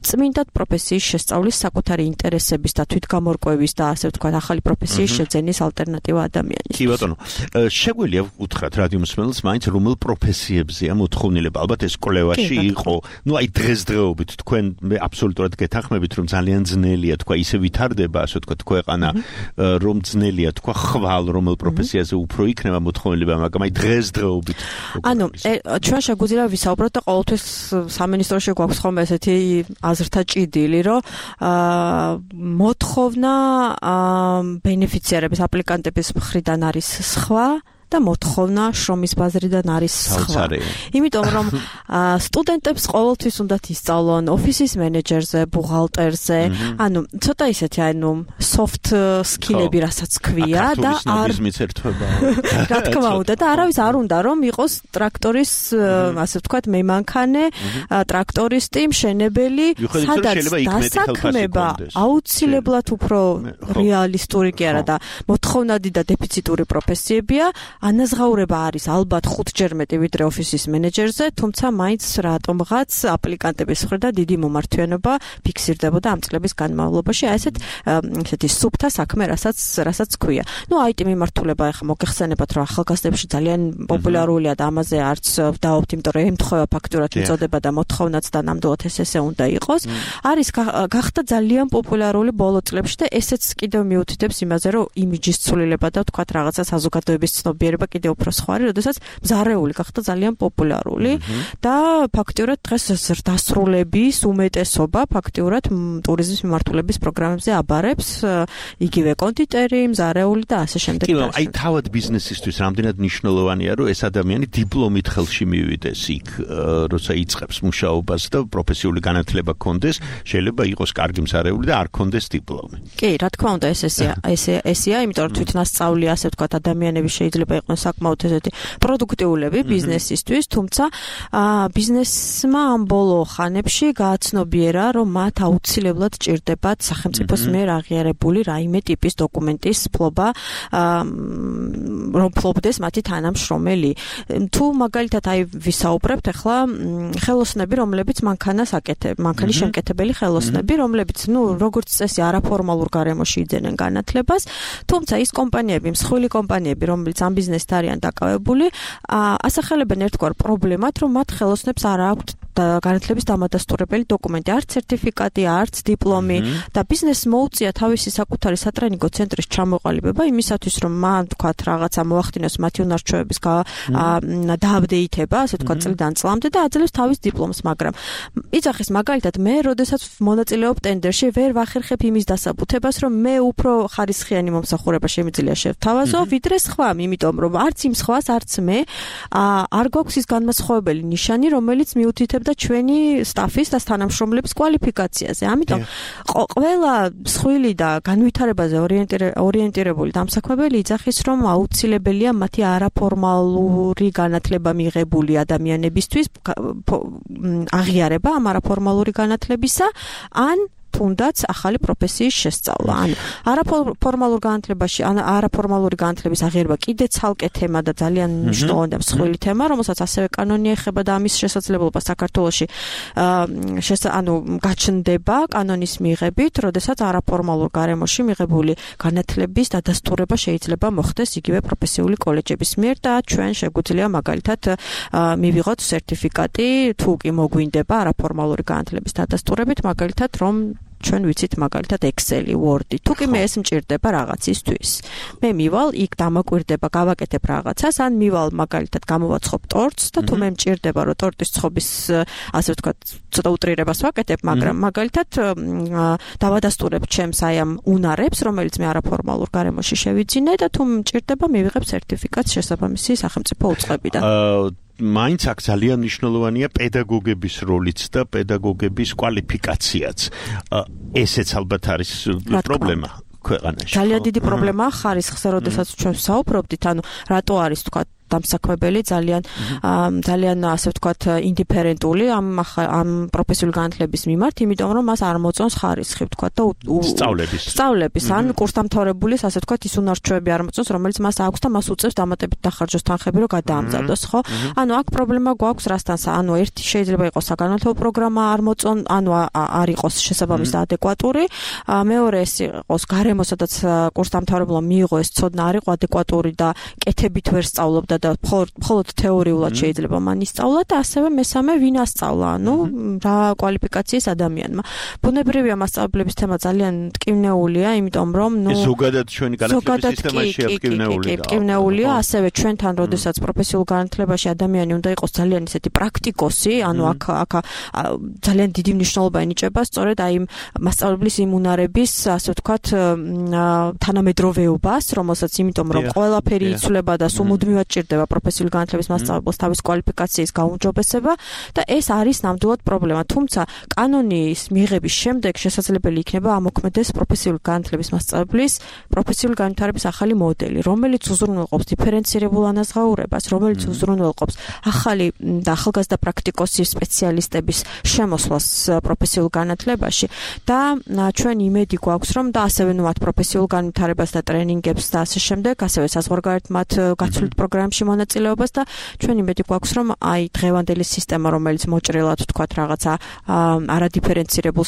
წმინდად პროფესიის შესწავლის, საკუთარი ინტერესების და თვითგამორკვევის და ასე ვთქვათ, ახალი პროფესიის შეძენის ალტერნატივა ადამიანის. კი ბატონო, შეგვიძლია უთხრათ რადიომსმენელს მაინც რომელ პროფესიებზეა მოთხოვნილება? ალბათ ეს კვლევაში იყო, ну აი დღესდღეობით თქვენ აბსოლუტურად გეთანხმებით, რომ ძალიან ძნელია თქვა ისე ვითარდება, ასე ვთქვათ, ქვეყანა, რომ ძნელია თქვა ხვალ რომელ პროფესიაზე უფრო იქნება მოთხოვნილება, მაგრამ აი დღესდღეობით. ანუ ჩვენ შეგვიძლია ვისაუბროთ და ყოველთვის სამინისტროში გვაქვს ხოლმე ესეთი აზრთა ჭიდილი, რომ მოთხოვნა ბენეფიციარების, აპლიკანტების მხრიდან არის სხვა და მოთხოვნა შრომის ბაზრიდან არის სხვა. იმიტომ რომ სტუდენტებს ყოველთვის უნდათ ისწავლონ ოფისის მენეჯერზე, ბუღალტერზე, ანუ ცოტა ისეთი soft skill-ები რასაც ქვია და რა თქმა უნდა და არავის არ უნდა რომ იყოს ტრაქტორის ასე ვთქვათ მემანქანე, ტრაქტორისტი, მშენებელი, სადაც დასაქმება აუცილებლად უფრო რეალისტური კი არა და მოთხოვნადი და დეფიციტური პროფესიებია, ანაზღაურება არის ალბათ 5-ჯერ მეტი ვიდრე ოფისის მენეჯერზე, თუმცა მაინც რატომღაც აპლიკანტების მხრიდან დიდი მომართვიანობა ფიქსირდებოდა ამ წლების განმავლობაში, ესეთი სუფთა საქმე, რასაც ქვია. IT მიმართულება ახლა მოგეხსენებათ, რომ ახალგაზრდებში ძალიან პოპულარულია და ამაზე არც ვდაობთ, იმიტომ რომ ემთხვევა ფაქტურად მიწოდება და მოთხოვნაც და ნამდვილად ესე უნდა იყოს. არის გახდა ძალიან პოპულარული ბოლო წლებში და ესეც კიდევ მიუთითებს იმაზე, რომ იმიჯის ცვლილება და თქვათ რაღაცა საზოგადოების ცნობიერება კიდევ უფრო სხვა არის, როდესაც მზარეული გახდა ძალიან პოპულარული და ფაქტიურად დღეს დასრულების უმეტესობა ფაქტიურად ტურიზმის მიმართულების პროგრამებზე აბარებს, იგივე კონდიტერი, მზარეული და ასე შემდეგ. აი თავად ბიზნესისთვის რამდენად მნიშვნელოვანია, რომ ეს ადამიანი დიპლომით ხელში მივიდეს იქ, როცა იწყებს მუშაობას და პროფესიული განათლება ჰქონდეს, შეიძლება იყოს კარგი მზარეული და არ ჰქონდეს დიპლომი. კი, რა თქმა უნდა, ესეა, იმიტომ რომ თვითნასწავლი, ასე ვთქვათ, ადამიანები შეიძლება იყვნენ საკმაოდ ესეთი პროდუქტიულები ბიზნესისთვის, თუმცა ბიზნესმა ამ ბოლო ხანებში გააცნობიერა, რომ მათ აუცილებლად ჭირდებათ სახელმწიფოს მიერ აღიარებული რაიმე ტიპის დოკუმენტის ფლობა, რომ ფლობდეს მათი თანამშრომელი. თუ მაგალითად ვისაუბრებთ ახლა ხელოსნები, რომლებიც მანქანის შემკეთებელი ხელოსნები, რომლებიც როგორც წესი არაფორმალურ გარემოში იძენენ განათლებას, თუმცა ის კომპანიები, მსხვილი კომპანიები, რომლებიც ამ ბიზნესით არიან დაკავებული, ასახელებენ ერთგვარ პრობლემად, რომ მათ ხელოსნებს არ აქვთ განათლების დამადასტურებელი დოკუმენტი, არც სერტიფიკატი, არც დიპლომი და ბიზნესს მოუწია თავისი საკუთარი სატრენინგო ცენტრის ჩამოყალიბება იმისათვის, რომ მან თქვათ რაღაცა მოახდინოს მათი უნარჩვევების დააპდეითება, ასე ვთქვათ, წლიდან წლამდე და აძლევს თავის დიპლომს, მაგრამ იძახის მაგალითად მე, როდესაც მონაწილეობ ტენდერში, ვერ ვახერხებ იმის დასაბუთებას, რომ მე უფრო ხარისხიანი მომსახურება შემიძლია შევთავაზო, ვიდრე სხვამ, იმიტომ რომ არც იმ სხვას, არც მე არ გვაქვს ის განმასხვავებელი ნიშანი, რომელიც მიუთითებდა ჩვენი სტაფის და თანამშრომლების კვალიფიკაციაზე. ამიტომ ყველა მსხვილი და განვითარებაზე ორიენტირებული დამსაქმებელი იძახის, რომ აუცილებელია მათი არაფორმალური განათლება მიღებული ადამიანებისთვის აღიარება ამ არაფორმალური განათლებისა, ან თუნდაც ახალი პროფესიის შესწავლა. ანუ არაფორმალური განათლების აღიარება კიდე ცალკე თემა და ძალიან მნიშვნელოვანი და მსხვილი თემა, რომელსაც ასევე კანონი ეხება და ამის შესაძლებლობა საქართველოში გაჩნდება კანონის მიღებით, როდესაც არაფორმალურ გარემოში მიღებული განათლების დადასტურება შეიძლება მოხდეს იგივე პროფესიული კოლეჯების მიერ და ჩვენ შეგვიძლია მაგალითად მივიღოთ სერტიფიკატი, თუ კი მოგვინდება არაფორმალური განათლების დადასტურებით, მაგალითად რომ ჩვენ ვიცით მაგალითად Excel-ი, Word-ი. თუ კი მე ეს მჭირდება რაღაცისთვის. მე მივალ იქ დამაკვირდება, გავაკეთებ რაღაცას, ან მივალ მაგალითად გამოვაცხობ ტორტს და თუ მე მჭირდება რომ ტორტის ცხობის, ასე ვთქვათ, ცოტა უტრირებას ვაკეთებ, მაგრამ მაგალითად დავადასტურებ ჩემს ამ უნარებს, რომელიც მე არაფორმალურ გარემოში შევიძინე და თუ მჭირდება მივიღებ სერტიფიკატს შესაბამისი სახელმწიფო უწყებიდან. მაინც აქ ძალიან მნიშვნელოვანია პედაგოგების როლიც და პედაგოგების კვალიფიკაციაც. ესეც ალბათ არის პრობლემა ქვეყანაში. ძალიან დიდი პრობლემაა ხარისხზე, როდესაც ჩვენ ვსაუბრობდით, ანუ რატო არის თქვა დამსაქმებელი ძალიან ასე ვთქვათ ინდიფერენტული ამ პროფესიული განათლების მიმართ, იმიტომ რომ მას არ მოწონს ხარისხი, ვთქვათ და სწავლების ან კურსდამთავრებულის ასე ვთქვათ ის უნარჩვევები არ მოწონს, რომელიც მას აქვს და მას უწევს დამატებით დახარჯოს თანხები, რომ გადაამზადოს, ხო? ანუ აქ პრობლემა გვაქვს რასთან, ანუ ერთი შეიძლება იყოს საგანმანათლებლო პროგრამა არ მოწონ, ანუ არ იყოს შესაბამისი და ადეკვატური, მეორე ეს იყოს გარემო, სადაც კურსდამთავრებულმა მიიღო ეს ცოდნა არ იყო ადეკვატური და კეთებით ვერ სწავლობდა და მხოლოდ თეორიულად შეიძლება მან ისწავლა და ასევე მესამე ვინ ასწავლა, ანუ რა კვალიფიკაციის ადამიანმა. ბუნებრივია მასწავლებლების თემა ძალიან ტკივნეულია, იმიტომ რომ ზოგადად ჩვენი განათლების სისტემაში ტკივნეულია, ასევე ჩვენთან როდესაც პროფესიულ განათლებაში ადამიანი უნდა იყოს ძალიან ისეთი პრაქტიკოსი, ანუ აქ ძალიან დიდი მნიშვნელობა ენიჭება სწორედ აი მასწავლებლის იმუნარების, ასე ვთქვათ, თანამედროვეობას, რომელსაც იმიტომ რომ ყველაფერი იცვლება და სულ ჭირდება პროფესიული განათლების მასწავლებელს თავის კვალიფიკაციის გაუმჯობესება და ეს არის ნამდვილად პრობლემა. თუმცა კანონის მიღების შემდეგ შესაძლებელი იქნება ამოქმედეს პროფესიული განათლების მასწავლებლის პროფესიული განვითარების ახალი მოდელი, რომელიც უზრუნველყოფს დიფერენცირებულ ანაზღაურებას, რომელიც უზრუნველყოფს ახალი და ახალგაზრდა პრაქტიკოსი სპეციალისტების შემოსვლას პროფესიულ განათლებაში და ჩვენ იმედი გვაქვს, რომ და ასევე მათ პროფესიულ განვითარებას და ტრენინგებს და ასე შემდეგ, ასევე საზღვარგარეთ მათ გაცვლით პროგრამებში მონაწილეობას და ჩვენ იმედი გვაქვს, რომ აი დღევანდელი სისტემა, რომელიც მოჭრილად ვთქვათ რაღაცა არადიფერენცირებულ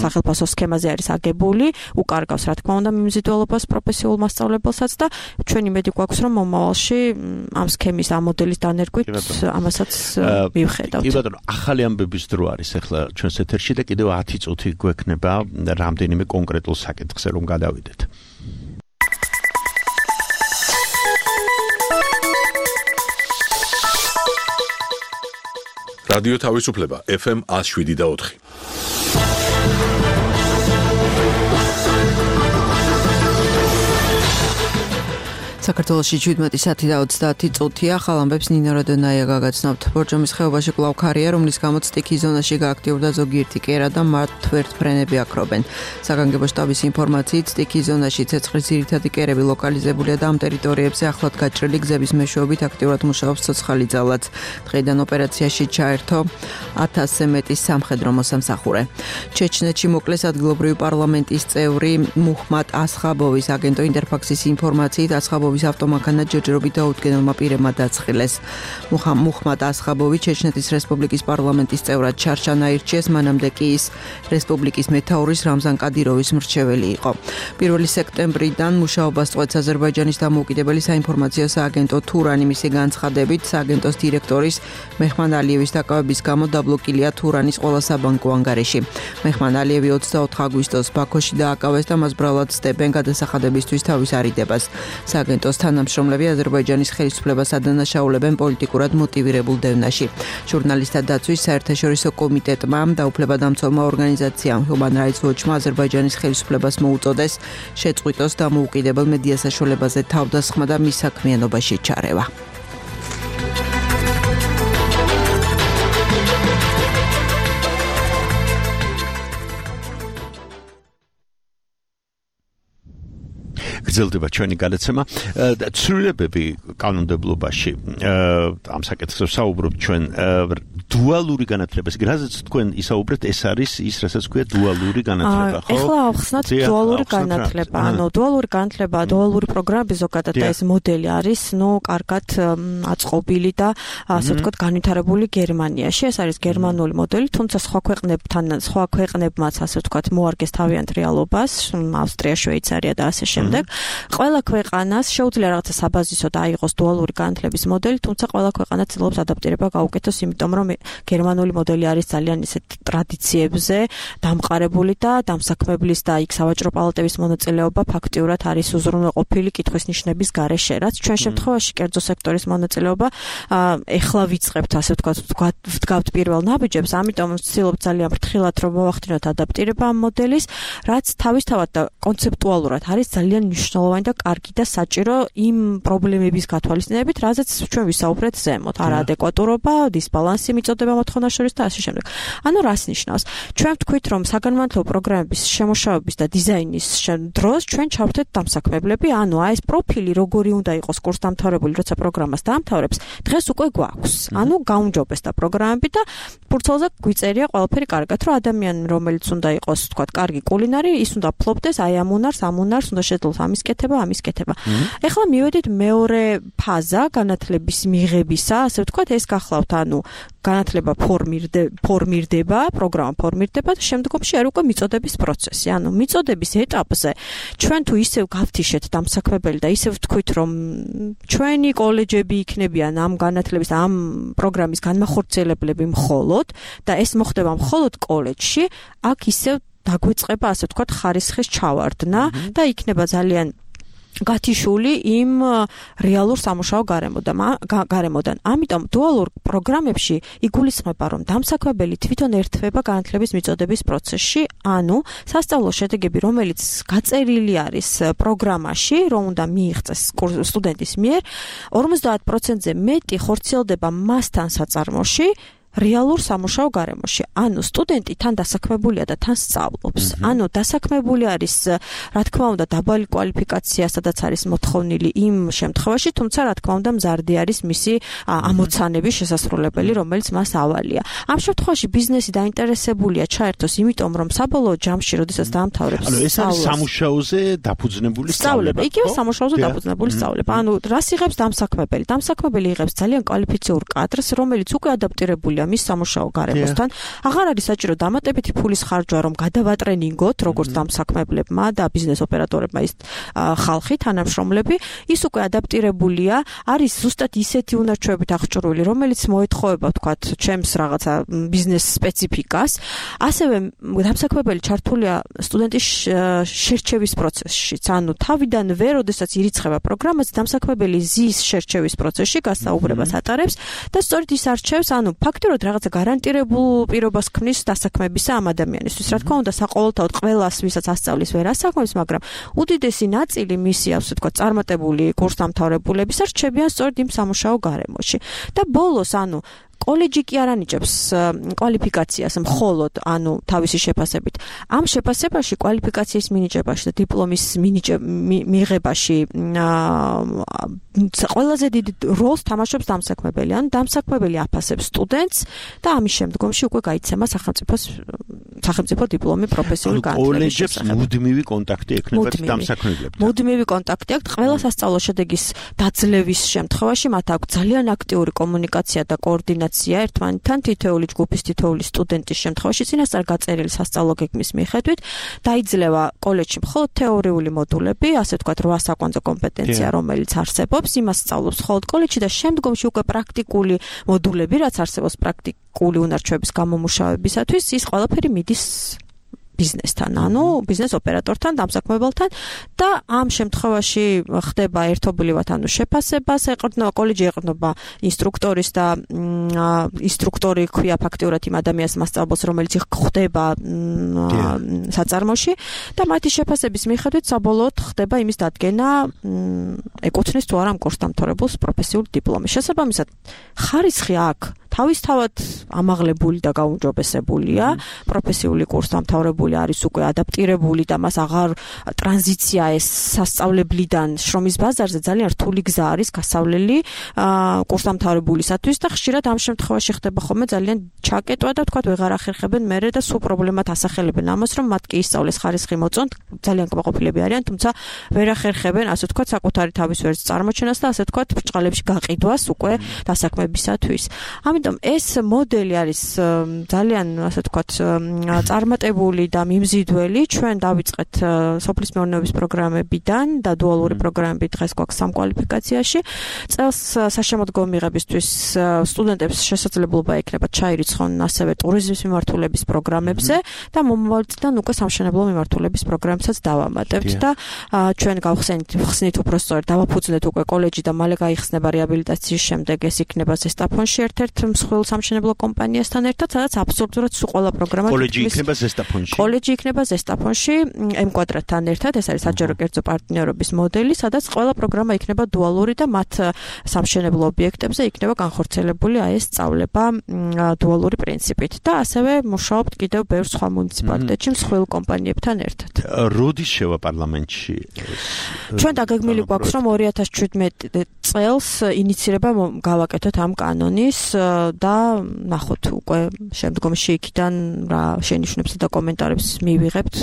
სახელფასო სქემაზე არის აგებული, უკარგავს რა თქმა უნდა მიმზიდველობას პროფესიულ მასწავლებელსაც და ჩვენ იმედი გვაქვს, რომ მომავალში ამ სქემის ამ მოდელის დანერგვით ამასაც მივხედავთ. კი ბატონო, ახალი ამბების დრო არის ახლა ჩვენს ეთერში და კიდევ 10 წუთი გვექნება რამდენიმე კონკრეტულ საკითხზე რომ გადავიდეთ. რადიო თავისუფლება FM 107.4. საქართველოში 17 საათი და 30 წუთია. ხალ ამბებს ნინო როდონაია გაგაცნობთ. ბორჯომის ხეობაში კვლავ ქარია, რომლის გამოც სტიქის ზონაში გააქტიურდა ზოგიერთი კერა და მათ თვერთფრენები აქრობენ. საგანგებო შტაბის ინფორმაციით, სტიქის ზონაში ცეცხლის ძირითადი კერები ლოკალიზებულია და ამ ტერიტორიებზე ახლად გაჭრილი გზების მეშვეობით აქტიურად მუშაობს ცოცხალი ძალაც. დღეიდან ოპერაციაში ჩაერთო 1000-ზე მეტი სამხედრო მოსამსახურე. ჩეჩნეთში მოკლეს ადგილობრივი პარლამენტის წევრი მუჰმად ასხაბოვის. აგენტო ინტერფაქსის ინფორმაციით ასხაბოვის ავტომანქანა ჯერჯერობით დაუდგენელმა პირებმა დაწყილეს. მუჰმად ასხაბოვი ჩეჩნეთის რესპუბლიკის პარლამენტის წევრად ჩარჩან აირჩიეს, მანამდე კი ის რესპუბლიკის მეთაურის რამზან კადიროვის მრჩეველი იყო. 1 სექტემბრიდან მუშაობას წყვეტს აზერბაიჯანის დამოუკიდებელი საინფორმაციო სააგენტო თურანი. მისი განცხადებით, სააგენტოს დირექტორის მეჰმან ალიევის დაკავების გამო დაბლოკილია თურანის ყველა საბანკო ანგარიში. მეჰმან ალიევი 24 აგვისტოს ბაქოში დააკავეს და მას ბრალად სდებენ გადასახადებისთვის თავის არიდებას. სააგენტოს თანამშრომლები აზერბაიჯანის ხელისუფლებას ადანაშაულებენ პოლიტიკურად მოტივირებულ დევნაში. ჟურნალისტთა დაცვის საერთაშორისო კომიტეტმა და უფლებადამცველმა ორგანიზაციამ Human Rights Watch-მა აზერბაიჯანის ხელისუფლებას მოუწოდეს შეწყვიტოს დამოუკიდებელ მედია საშუალებაზე თავდასხმა და მის საქმიანობაში ჩარევა. გრძელდება ჩვენი გადაცემა. ცვლილებები კანონმდებლობაში ამ საკითხზე საუბრობთ ჩვენ დუალური განათლება. რაზეც თქვენ ისაუბრეთ, ეს არის ის, რასაც ქვია დუალური განათლება, ხო? ეხლა ავხსნათ დუალური განათლება. ანუ დუალური განათლება, დუალური პროგრამები ზოგადად და ეს მოდელი არის, კარგად აწყობილი და ასე ვთქვათ, განვითარებული გერმანიაში. ეს არის გერმანული მოდელი, თუმცა სხვა ქვეყნებმაც ასე ვთქვათ, მოარგეს თავიანთ რეალობას, ავსტრია, შვეიცარია და ასე შემდეგ. ყველა ქვეყანას შეუძლია რაღაცა საბაზისოდ აიღოს დუალური განათლების მოდელი, თუმცა ყველა ქვეყანა ცდილობს ადაპტირება გაუკეთოს, იმიტომ რომ გერმანული მოდელი არის ძალიან ისეთ ტრადიციებზე დამყარებული და დამსაქმებლის და იქ სავაჭრო პალატების მონაწილეობა ფაქტიურად არის უზრუნველყოფილი კითხვის ნიშნების გარეშე, რაც ჩვენ შემთხვევაში კერძო სექტორის მონაწილეობა ეხლა ვიწყებთ, ასე ვდგავთ პირველ ნაბიჯებს, ამიტომ ვცდილობთ ძალიან ფრთხილად რომ მოვახდინოთ ადაპტირება ამ მოდელის, რაც თავისთავად და კონცეპტუალურად არის ძალიან მნიშვნელოვანი და კარგი და საჭირო იმ პრობლემების გათვალისწინებით, რაზეც ჩვენ ვისაუბრეთ ზემოთ, არაადეკვატურობა, დისბალანსი მიწოდება მოთხოვნას შორის და ასე შემდეგ. ანუ რას ნიშნავს? ჩვენ ვთქვით, რომ საგანმანათლებლო პროგრამების შემუშავების და დიზაინის დროს ჩვენ ჩავთეთ დამსაქმებლები, ანუ ეს პროფილი როგორი უნდა იყოს კურსდამთავრებული, როცა პროგრამას დაამთავრებს, დღეს უკვე გვაქვს. ანუ გაუმჯობესდა პროგრამები და ფურცელზე გვიწერია ყველაფერი კარგად, რომ ადამიანი, რომელიც უნდა იყოს, ვთქვათ, კარგი კულინარი, ის უნდა ფლობდეს აი ამ უნარს უნდა შეძლოს ამ ეხლა მივედით მეორე ფაზა განათლების მიღებისა, ასე ვთქვათ, ეს გახლავთ, განათლება ფორმირდება, პროგრამა ფორმირდება და შემდგომში არ უკვე მიწოდების პროცესი. მიწოდების ეტაპზე ჩვენ თუ ისევ გავთიშეთ დამსაქმებელი და ისევ ვთქვით, რომ ჩვენი კოლეჯები იქნებიან ამ განათლების, ამ პროგრამის განმახორციელებლები მხოლოდ და ეს მოხდება მხოლოდ კოლეჯში, აქ ისევ დაგვეწყება, ასე ვთქვათ, ხარისხის ჩავარდნა და იქნება ძალიან გათიშული იმ რეალურ სამუშაო გარემოდან. ამიტომ დუალურ პროგრამებში იგულისხმება, რომ დამსაქმებელი თვითონ ერთვება განათლების მიწოდების პროცესში, სასწავლო შედეგები, რომელიც გაწერილი არის პროგრამაში, რომ უნდა მიიღწეს სტუდენტის მიერ, 50%-ზე მეტი ხორციელდება მასთან საწარმოში, რეალურ სამუშაო გარემოში. სტუდენტი თან დასაქმებულია და თან სწავლობს. დასაქმებული არის, რა თქმა უნდა, დაბალი კვალიფიკაცია, სადაც არის მოთხოვნილი იმ შემთხვევაში, თუმცა რა თქმა უნდა, მზარდი არის მისი ამოცანების შესასრულებელი, რომელიც მას ავალია. ამ შემთხვევაში ბიზნესი დაინტერესებულია ჩაერთოს, იმიტომ რომ საბოლოო ჯამში, როდესაც დაამთავრებს ეს არის სამუშაოზე დაფუძნებული სწავლება. იგივე სამუშაოზე დაფუძნებული სწავლება. რას იღებს დამსაქმებელი? დამსაქმებელი იღებს ძალიან კვალიფიციურ კადრს, რომელიც უკვე ადაპტირებულია მის სამუშაო გარემოსთან. აღარ არის საჭირო დამატებითი ფულის ხარჯვა, რომ გადავატრენინგოთ როგორც დამსაქმებლებმა და ბიზნეს ოპერატორებმა ის ხალხი, თანამშრომლები, ის უკვე ადაპტირებულია, არის ზუსტად ისეთი უნარჩვევებით აღჭურვილი, რომელიც მოეთხოვება, ვთქვათ, ჩემს რაღაცა ბიზნეს სპეციფიკას. ასევე დამსაქმებელი ჩართულია სტუდენტის შერჩევის პროცესშიც. თავიდანვე, როდესაც ირიცხება პროგრამაც, დამსაქმებელი ზის შერჩევის პროცესში გასაუბრებას ატარებს და სწორედ ის არჩევს, ფაქტობრივად რაღაცა გარანტირებულ პირობას ქმნის დასაქმებისა ამ ადამიანისთვის. რა თქმა უნდა, საყოველთაოდ ყველას, ვისაც ასწავლის, ვერ ასაქმებს, მაგრამ უდიდესი ნაწილი მისი, ასე ვთქვათ, წარმატებული კურსდამთავრებულებისა რჩებიან სწორედ იმ სამუშაო გარემოში. და ბოლოს, კოლეჯი კი არ ანიჭებს კვალიფიკაციას მხოლოდ, თავისი შეფასებით. ამ შეფასებაში, კვალიფიკაციის მინიჭებაში და დიპლომის მიღებაში ყველაზე დიდ როლს თამაშობს დამსაქმებელი. დამსაქმებელი აფასებს სტუდენტს და ამის შემდგომში უკვე გაიცემა სახელმწიფო დიპლომი პროფესიული განათლების შესახებ. მუდმივი კონტაქტი ექნება დამსაქმებლებთან. მუდმივი კონტაქტი აქვს ყველა სასწავლო შედეგის დაძლევის შემთხვევაში, მათ აქვს ძალიან აქტიური კომუნიკაცია და координация ერთმანეთთან თითოეული ჯგუფის თითოეული სტუდენტის შემთხვევაში წინასწარ გაწერილი სასწავლო გეგმის მიხედვით დაიძლევა კოლეჯში მხოლოდ თეორიული მოდულები, ასე ვთქვათ, 8 საკვანძო კომპეტენცია, რომელიც არსებობს, იმას სწავლობს მხოლოდ კოლეჯში და შემდგომში უკვე პრაქტიკული მოდულები, რაც არსებობს პრაქტიკული უნარჩვების გამომუშავებისათვის, ის ყველაფერი მიდის ბიზნესთან, ბიზნეს ოპერატორთან, დამსაქმებელთან და ამ შემთხვევაში ხდება ერთობლივად, შეფასებას ეყრდნობა, კოლეჯი ეყრდნობა ინსტრუქტორის და ინსტრუქტორი ქვია ფაქტიურად იმ ადამიანს მასწავლებელს, რომელიც ხდება საწარმოში და მათი შეფასების მიხედვით საბოლოოდ ხდება იმის დადგენა, ეკუთვნის თუ არა ამ კურსდამთავრებულს პროფესიული დიპლომი. შესაბამისად, ხარისხი აქ თავისთავად ამაღლებული და გაუმჯობესებულია, პროფესიული კურსდამთავრებული არის უკვე ადაპტირებული და მას აღარ ტრანზიცია ეს სასწავლებლიდან შრომის ბაზარზე ძალიან რთული გზა არის გასავლელი კურსდამთავრებულისათვის და ხშირად ამ შემთხვევაში ხდება ხოლმე ძალიან ჩაკეტვა და თქვათ ვეღარ ახერხებენ მერე და სულ პრობლემად ასახელებენ ამას, რომ მათ კი ისწავლეს ხარისხი მოწონთ, ძალიან კმაყოფილები არიან, თუმცა ვერ ახერხებენ, ასე ვთქვათ, საკუთარი თავის ვერს წარმოჩენას და ასე ვთქვათ, ბრჭყალებში გაყიდვას უკვე დასაქმებისათვის. ამიტომ ეს მოდელი არის ძალიან, ასე ვთქვათ, წარმატებული და მიმზიდველი. ჩვენ დავიწყეთ სოფლის მეურნეობის პროგრამებიდან და დუალური პროგრამები დღეს გვაქვს სამ კვალიფიკაციაში. წელს საშემოდგომო მიღებისთვის სტუდენტებს შესაძლებლობა ექნებათ ჩაირიცხონ ასევე ტურიზმის მიმართულების პროგრამებზე და მომავალ წლიდან უკვე სამშენებლო მიმართულების პროგრამებსაც დავამატებთ და ჩვენ გავხსნით უბრალოდ დავაფუძნეთ უკვე კოლეჯი და მალე გაიხსნება რეაბილიტაციის შემდეგ ეს იქნება ზესტაფონში ერთ-ერთ მსხვილ სამშენებლო კომპანიასთან ერთად, სადაც აბსოლუტურად სულ ყველა პროგრამა კოლეჯი იქნება ზესტაფონში. კოლეჯი იქნება ზესტაფონში M კვადრატთან ერთად, ეს არის საჯარო კერძო პარტნიორობის მოდელი, სადაც ყველა პროგრამა იქნება დუალური და მათ სამშენებლო ობიექტებზე იქნება განხორციელებული ეს სწავლება დუალური პრინციპით და ასევე მუშაობთ კიდევ ბევრ სხვა მუნიციპალიტეტში მსხვილ კომპანიებთან ერთად. როდის შევა პარლამენტში? ჩვენ დაგეგმილი გვაქვს, რომ 2017 წელს ინიცირება გავაკეთოთ ამ კანონის და ნახოთ უკვე შემდგომში იქიდან რა შენიშვნებსა და კომენტარებს მივიღებთ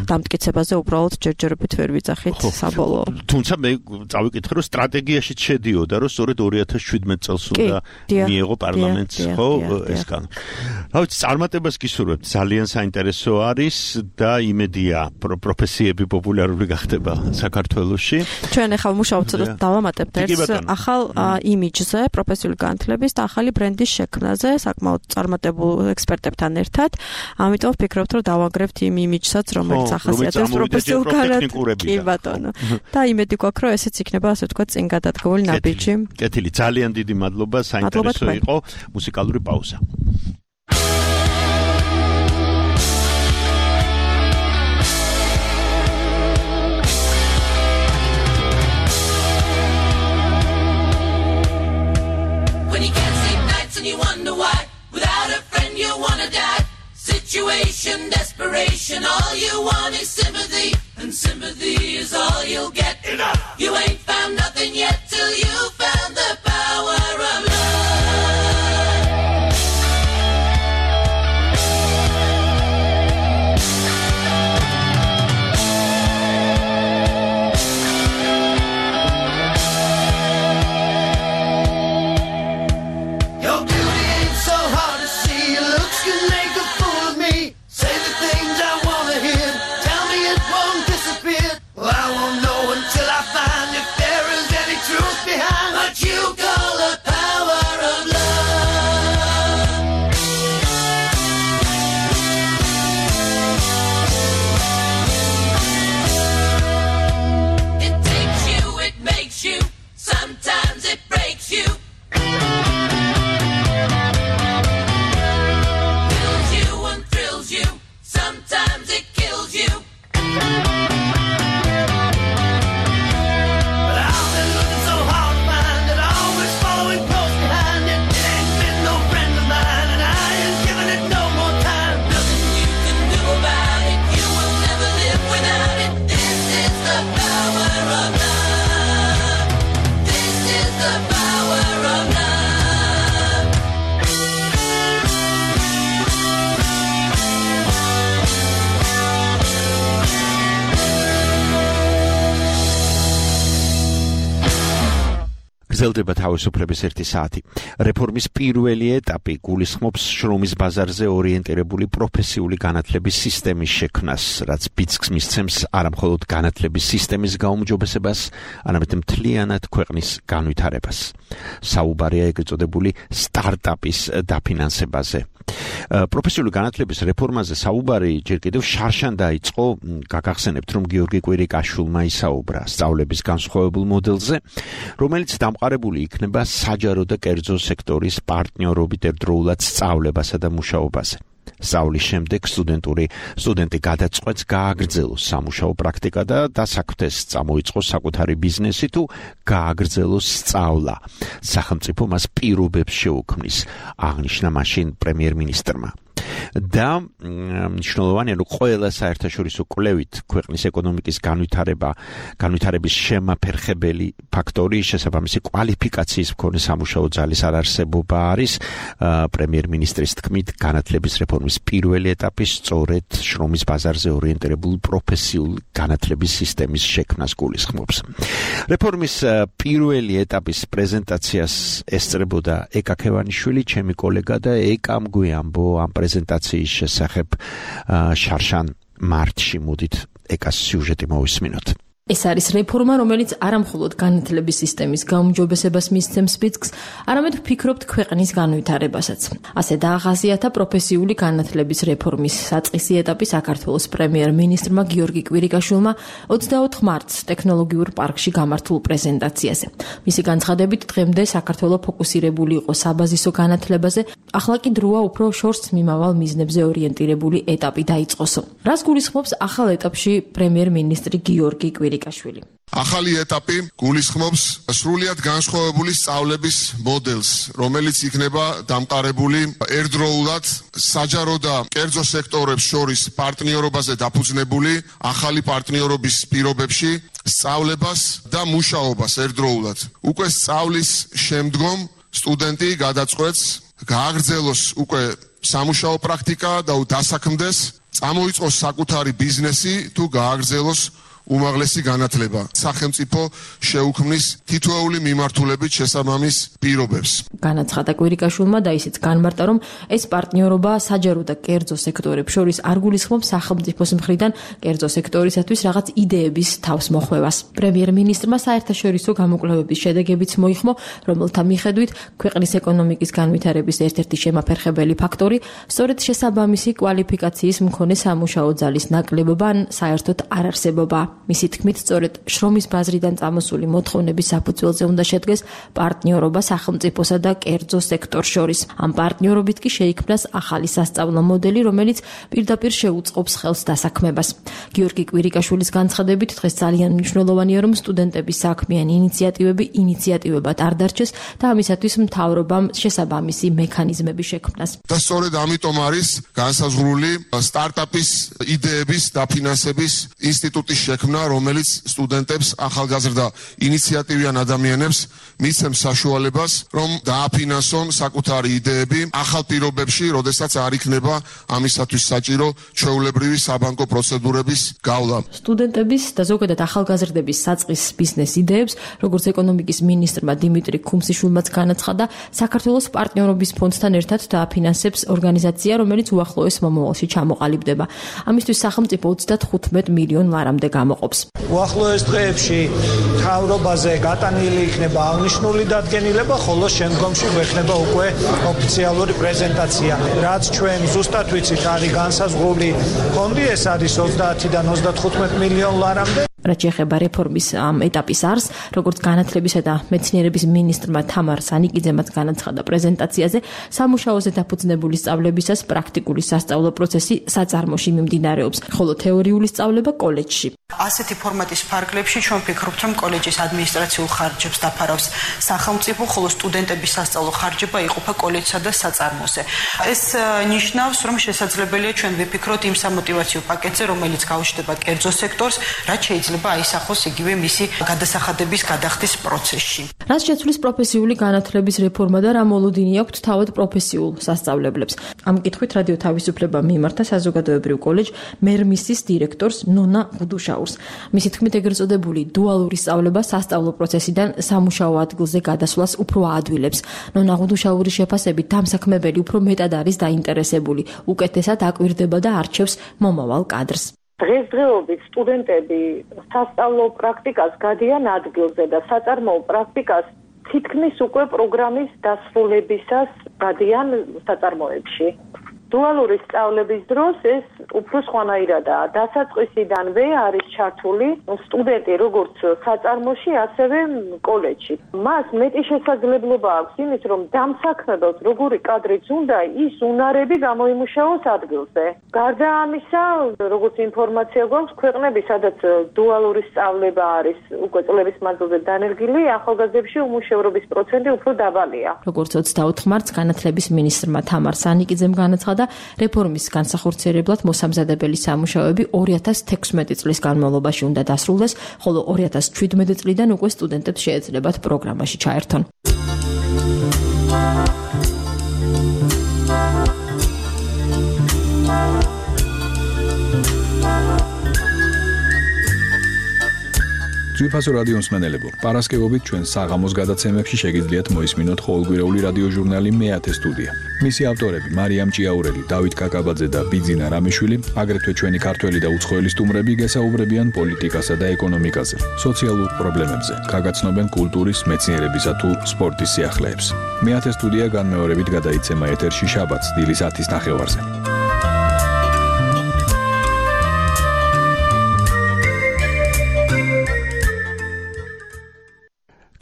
დამტკიცებაზე უბრალოდ ჯერჯერობით ვერ ვიძახით საბოლოო. თუმცა მე წავიკითხე რომ სტრატეგიაში შედიოდა რომ სწორედ 2017 წელს უნდა მიიღო პარლამენტს ხო ეს კანონი. რა ვიცი წარმატებას გისურვებთ ძალიან საინტერესო არის და იმედია პროფესიები პოპულარული გახდება საქართველოში. ჩვენ ახლა მუშაობთ და დავამატებთ ერთ ახალ იმიჯზე პროფესიული განათლების და ახალი ბრენდის შექმნაზე საკმაოდ წარმატებულ ექსპერტებთან ერთად. ამიტომ ვფიქრობთ რომ დავაგრებთ იმ იმიჯსაც რომელიც ახასიათებს პროფესიულ განათლებას. კი ბატონო. და იმედი გვაქვს რომ ესეც იქნება ასე ვთქვათ წინ გადადგმული ნაბიჯი. კეთილი ძალიან დიდი მადლობა საინტერესო იყო მუსიკალური პაუზა. And you wonder why, without a friend you wanna die. Situation, desperation, all you want is sympathy, and sympathy is all you'll get. Enough. You ain't found nothing yet till you found the power of love. გრძელდება თავისუფლების 1 საათი. რეფორმის პირველი ეტაპი გულისხმობს შრომის ბაზარზე ორიენტირებული პროფესიული განათლების სისტემის შექმნას, რაც ბიძგს მისცემს არამხოლოდ განათლების სისტემის გაუმჯობესებას, არამედ მთლიანად ქვეყნის განვითარებას. საუბარია ეგრეთ წოდებული სტარტაპის დაფინანსებაზე. პროფესიული განათლების რეფორმაზე საუბარი ჯერ კიდევ შარშან დაიწყო, გაგახსენებთ რომ გიორგი კვირიკაშვილმა ისაუბრა სწავლების განსხვავებულ მოდელზე, რომელიც დამყარებული იქნება საჯარო და კერძო სექტორის პარტნიორობით ერთდროულად სწავლებასა და მუშაობაზე. სწავლის შემდეგ სტუდენტი გადაწყვეტს გააგრძელოს სამუშაო პრაქტიკა და დასაქმდეს წამოიწყოს საკუთარი ბიზნესი თუ გააგრძელოს სწავლა. სახელმწიფო მას პირობებს შეუქმნის, აღნიშნა მაშინ პრემიერ-მინისტრმა. და მნიშვნელოვანია რომ ყველა საერთაშორისო კვლევით ქვეყნის ეკონომიკის განვითარების შემაფერხებელი ფაქტორი შესაბამისი კვალიფიკაციის მქონე სამუშაო ძალის არარსებობა არის. პრემიერ-მინისტრის თქმით, განათლების რეფორმის პირველი ეტაპი სწორედ შრომის ბაზარზე ორიენტირებული პროფესიული განათლების სისტემის შექმნას გულისხმობს. რეფორმის პირველი ეტაპის პრეზენტაციას ესწრებოდა ეკა ქევანიშვილი, ჩემი კოლეგა და ეკამ გვიამბო ამ პრეზენტაციის შესახებ შარშან მარტში. მოდით ეკას სიუჟეტი მოვისმინოთ. ეს არის რეფორმა, რომელიც არამხოლოდ განათლების სისტემის გაუმჯობესებას მისცემს ბიძგს, არამედ ვფიქრობთ ქვეყნის განვითარებასაც. ასე დაახასიათა პროფესიული განათლების რეფორმის საწყისი ეტაპი საქართველოს პრემიერ-მინისტრმა გიორგი კვირიკაშვილმა 24 მარტს ტექნოლოგიურ პარკში გამართულ პრეზენტაციაზე. მისი განცხადებით, დღემდე საქართველოს ფოკუსირებული იყო საბაზისო განათლებაზე, ახლა კი დროა უფრო შორს მიმავალ მიზნებზე ორიენტირებული ეტაპი დაიწყოსო. რას გულისხმობს ახალ ეტაპში პრემიერ-მინისტრი გიორგი კვირიკაშვილი? ახალი ეტაპი გულისხმობს სრულიად განსხვავებული სწავლების მოდელს, რომელიც იქნება დამყარებული ერთდროულად საჯარო და კერძო სექტორებს შორის პარტნიორობაზე დაფუძნებული ახალი პარტნიორობის პირობებში სწავლებას და მუშაობას ერთდროულად. უკვე სწავლის შემდგომ სტუდენტი გადაწყვეტს გააგრძელოს უკვე სამუშაო პრაქტიკა და დასაქმდეს, წამოიწყოს საკუთარი ბიზნესი თუ გააგრძელოს უმაღლესი განათლება. სახელმწიფო შეუქმნის თითოეული მიმართულებით შესაბამის პირობებს. განაცხადა კვირიკაშვილმა და ისიც განმარტა, რომ ეს პარტნიორობა საჯარო და კერძო სექტორებს შორის არ გულისხმობს სახელმწიფოს მხრიდან კერძო სექტორისათვის რაღაც იდეების თავს მოხვევას. პრემიერ-მინისტრმა საერთაშორისო გამოკვლევების შედეგებიც მოიხმო, რომელთა მიხედვით ქვეყნის ეკონომიკის განვითარების ერთ-ერთი შემაფერხებელი ფაქტორი სწორედ შესაბამისი კვალიფიკაციის მქონე სამუშაო ძალის ნაკლებობა ან საერთოდ არარსებობა. მისი თქმით, სწორედ შრომის ბაზრიდან წამოსული მოთხოვნების საფუძველზე უნდა შედგეს პარტნიორობა სახელმწიფოსა და კერძო სექტორს შორის. ამ პარტნიორობით კი შეიქმნას ახალი სასწავლო მოდელი, რომელიც პირდაპირ შეუწყობს ხელს დასაქმებას. გიორგი კვირიკაშვილის განცხადებით, დღეს ძალიან მნიშვნელოვანია, რომ სტუდენტების საქმიანი ინიციატივებად არ დარჩეს და ამისათვის მთავრობამ შესაბამისი მექანიზმები შექმნას. და სწორედ ამიტომ არის განსაზღვრული სტარტაპის იდეების დაფინანსების ინსტიტუტის შექმნა, რომელიც სტუდენტებს, ახალგაზრდა ინიციატივიან ადამიანებს მისცემს საშუალებას, რომ დააფინანსონ საკუთარი იდეები ახალ პირობებში, როდესაც არ იქნება ამისათვის საჭირო ჩვეულებრივი საბანკო პროცედურების გავლა. სტუდენტების და ზოგადად ახალგაზრდების საწყის ბიზნეს იდეებს, როგორც ეკონომიკის მინისტრმა დიმიტრი ქუმსიშვილმაც განაცხადა, საქართველოს პარტნიორობის ფონდთან ერთად დააფინანსებს ორგანიზაცია, რომელიც უახლოეს მომავალში ჩამოყალიბდება. ამისთვის სახელმწიფო 35 მილიონ ლარამდე გამოყოფს. უახლოეს დღეებში მთავრობაზე გატანილი იქნება აღნიშნული დადგენილება, ხოლო შემდგომში გვექნება უკვე ოფიციალური პრეზენტაცია. რაც ჩვენ ზუსტად ვიცით, არის განსაზღვრული ფონდი, ეს არის 30-დან 35 მილიონ ლარამდე. რაც შეეხება რეფორმის ამ ეტაპის არს, როგორც განათლებისა და მეცნიერების მინისტრმა თამარ სანიკიძემაც განაცხადა პრეზენტაციაზე, სამუშაოზე დაფუძნებული სწავლებისას პრაქტიკული სასწავლო პროცესი საწარმოში მიმდინარეობს, ხოლო თეორიული სწავლება კოლეჯში. ასეთი ფორმატის ფარგლებში ჩვენ ვფიქრობთ, რომ კოლეჯის ადმინისტრაციულ ხარჯებს დაფარავს სახელმწიფო, ხოლო სტუდენტების სასწავლო ხარჯება იყოფა კოლეჯსა და საწარმოზე. ეს ნიშნავს, რომ შესაძლებელია ჩვენ ვიფიქროთ იმ სამოტივაციო პაკეტზე, რომელიც გაუჩნდება კერძო სექტორს, რაც შეიძლება აისახოს იგივე მისი გადასახადების გადახდის პროცესში. რაც შეცვლის პროფესიული განათლების რეფორმა და რა მოლოდინი აქვთ თავად პროფესიულ სასწავლებლებს. ამ კითხვით რადიო თავისუფლება მიმართა საზოგადოებრივ კოლეჯ მერმისის დირექტორს ნონა ღუდუშაურს. მისი თქმით, ეგრეთ წოდებული დუალური სწავლება სასწავლო პროცესიდან სამუშაო ადგილზე გადასვლას უფრო აადვილებს. ნონა ღუდუშაურის შეფასებით, დამსაქმებელი უფრო მეტად არის დაინტერესებული, უკეთესად აკვირდება და არჩევს მომავალ კადრს. დღესდღეობით სტუდენტები სასწავლო პრაქტიკას გადიან ადგილზე და საწარმოო პრაქტიკას თითქმის უკვე პროგრამის დასრულებისას გადიან საწარმოებში. დუალური სწავლების დროს ეს უფრო სხვანაირადაა. დასაწყისიდანვე არის ჩართული სტუდენტი როგორც საწარმოში, ასევე კოლეჯში. მას მეტი შესაძლებლობა აქვს იმის, რომ დამსაქმებელს როგორი კადრიც უნდა, ის უნარები გამოიმუშაოს ადგილზე. გარდა ამისა, როგორც ინფორმაცია გვაქვს, ქვეყნები, სადაც დუალური სწავლება არის უკვე წლების მანძილზე დანერგილი, ახალგაზრდებში უმუშევრობის პროცენტი უფრო დაბალია. როგორც 24 მარტს განათლების მინისტრმა თამარ სანიკიძემ განაცხადა, რეფორმის განსახორციელებლად მოსამზადებელი სამუშაოები 2016 წლის განმავლობაში უნდა დასრულდეს, ხოლო 2017 წლიდან უკვე სტუდენტებს შეეძლებათ პროგრამაში ჩაერთონ. ძვირფასო რადიო მსმენელებო, პარასკევობით ჩვენ საღამოს გადაცემებში შეგიძლიათ მოისმინოთ ყოველკვირეული რადიო ჟურნალი მეათე სტუდია. მისი ავტორები მარიამ ჭიაურელი, დავით კაკაბაძე და ბიძინა რამიშვილი, აგრეთვე ჩვენი ქართველი და უცხოელი სტუმრები გესაუბრებიან პოლიტიკასა და ეკონომიკაზე, სოციალურ პრობლემებზე, გაგაცნობენ კულტურის, მეცნიერებისა თუ სპორტის სიახლეებს. მეათე სტუდია განმეორებით გადაიცემა ეთერში შაბათს დილის 10-ის ნახევარზე.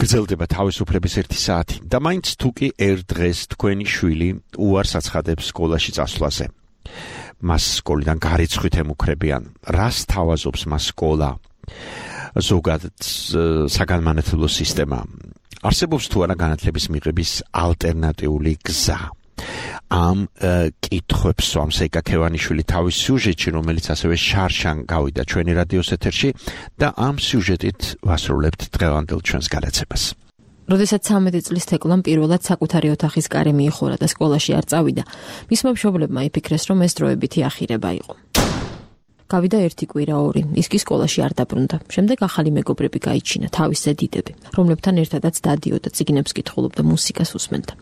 გრძელდება თავისუფლების 1 საათი და მაინც თუ კი ერთ დღეს თქვენი შვილი უარს აცხადებს სკოლაში წასვლაზე. მას სკოლიდან გარიცხვით ემუქრებიან. რას თავაზობს მას სკოლა? ზოგადად საგანმანათლებლო სისტემა. არსებობს თუ არა განათლების მიღების ალტერნატიული გზა? ამ კითხვებს სვამს ეკა ქევანიშვილი თავის სიუჟეტში, რომელიც ასევე შარშან გავიდა ჩვენი რადიოს ეთერში და ამ სიუჟეტით ვასრულებთ დღევანდელ ჩვენს გადაცემას. როდესაც 13 წლის თეკლამ პირველად საკუთარი ოთახის კარი მიიხურა და სკოლაში არ წავიდა, მისმა მშობლებმა იფიქრეს, რომ ეს დროებითი ახირება იყო. გავიდა 1 კვირა 2, ის კი სკოლაში არ დაბრუნდა. შემდეგ ახალი მეგობრები გაიჩინა, თავისზე დიდები, რომლებთან ერთადაც დადიოდა, წიგნებს კითხულობდა, მუსიკას უსმენდა.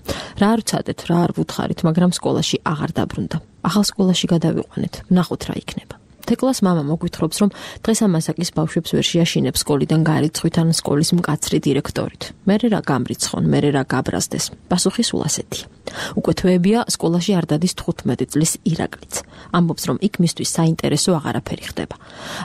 რა არ ვცადეთ, რა არ ვუთხარით, მაგრამ სკოლაში აღარ დაბრუნდა. ახალ სკოლაში გადავიყვანეთ, ვნახოთ რა იქნება. თეკლას მამა მოგვითხრობს, რომ დღეს ამასაკის ბავშვებს ვერ შეაშინებს სკოლიდან გარიცხვით ან სკოლის მკაცრი დირექტორით. მერე რა გამრიცხონ, მერე რა გაბრაზდეს. პასუხი სულ ასეთია. უკვე თვეებია სკოლაში არ დადის 15 წლის ირაკლიც. ამბობს, რომ იქ მისთვის საინტერესო აღარაფერი ხდება.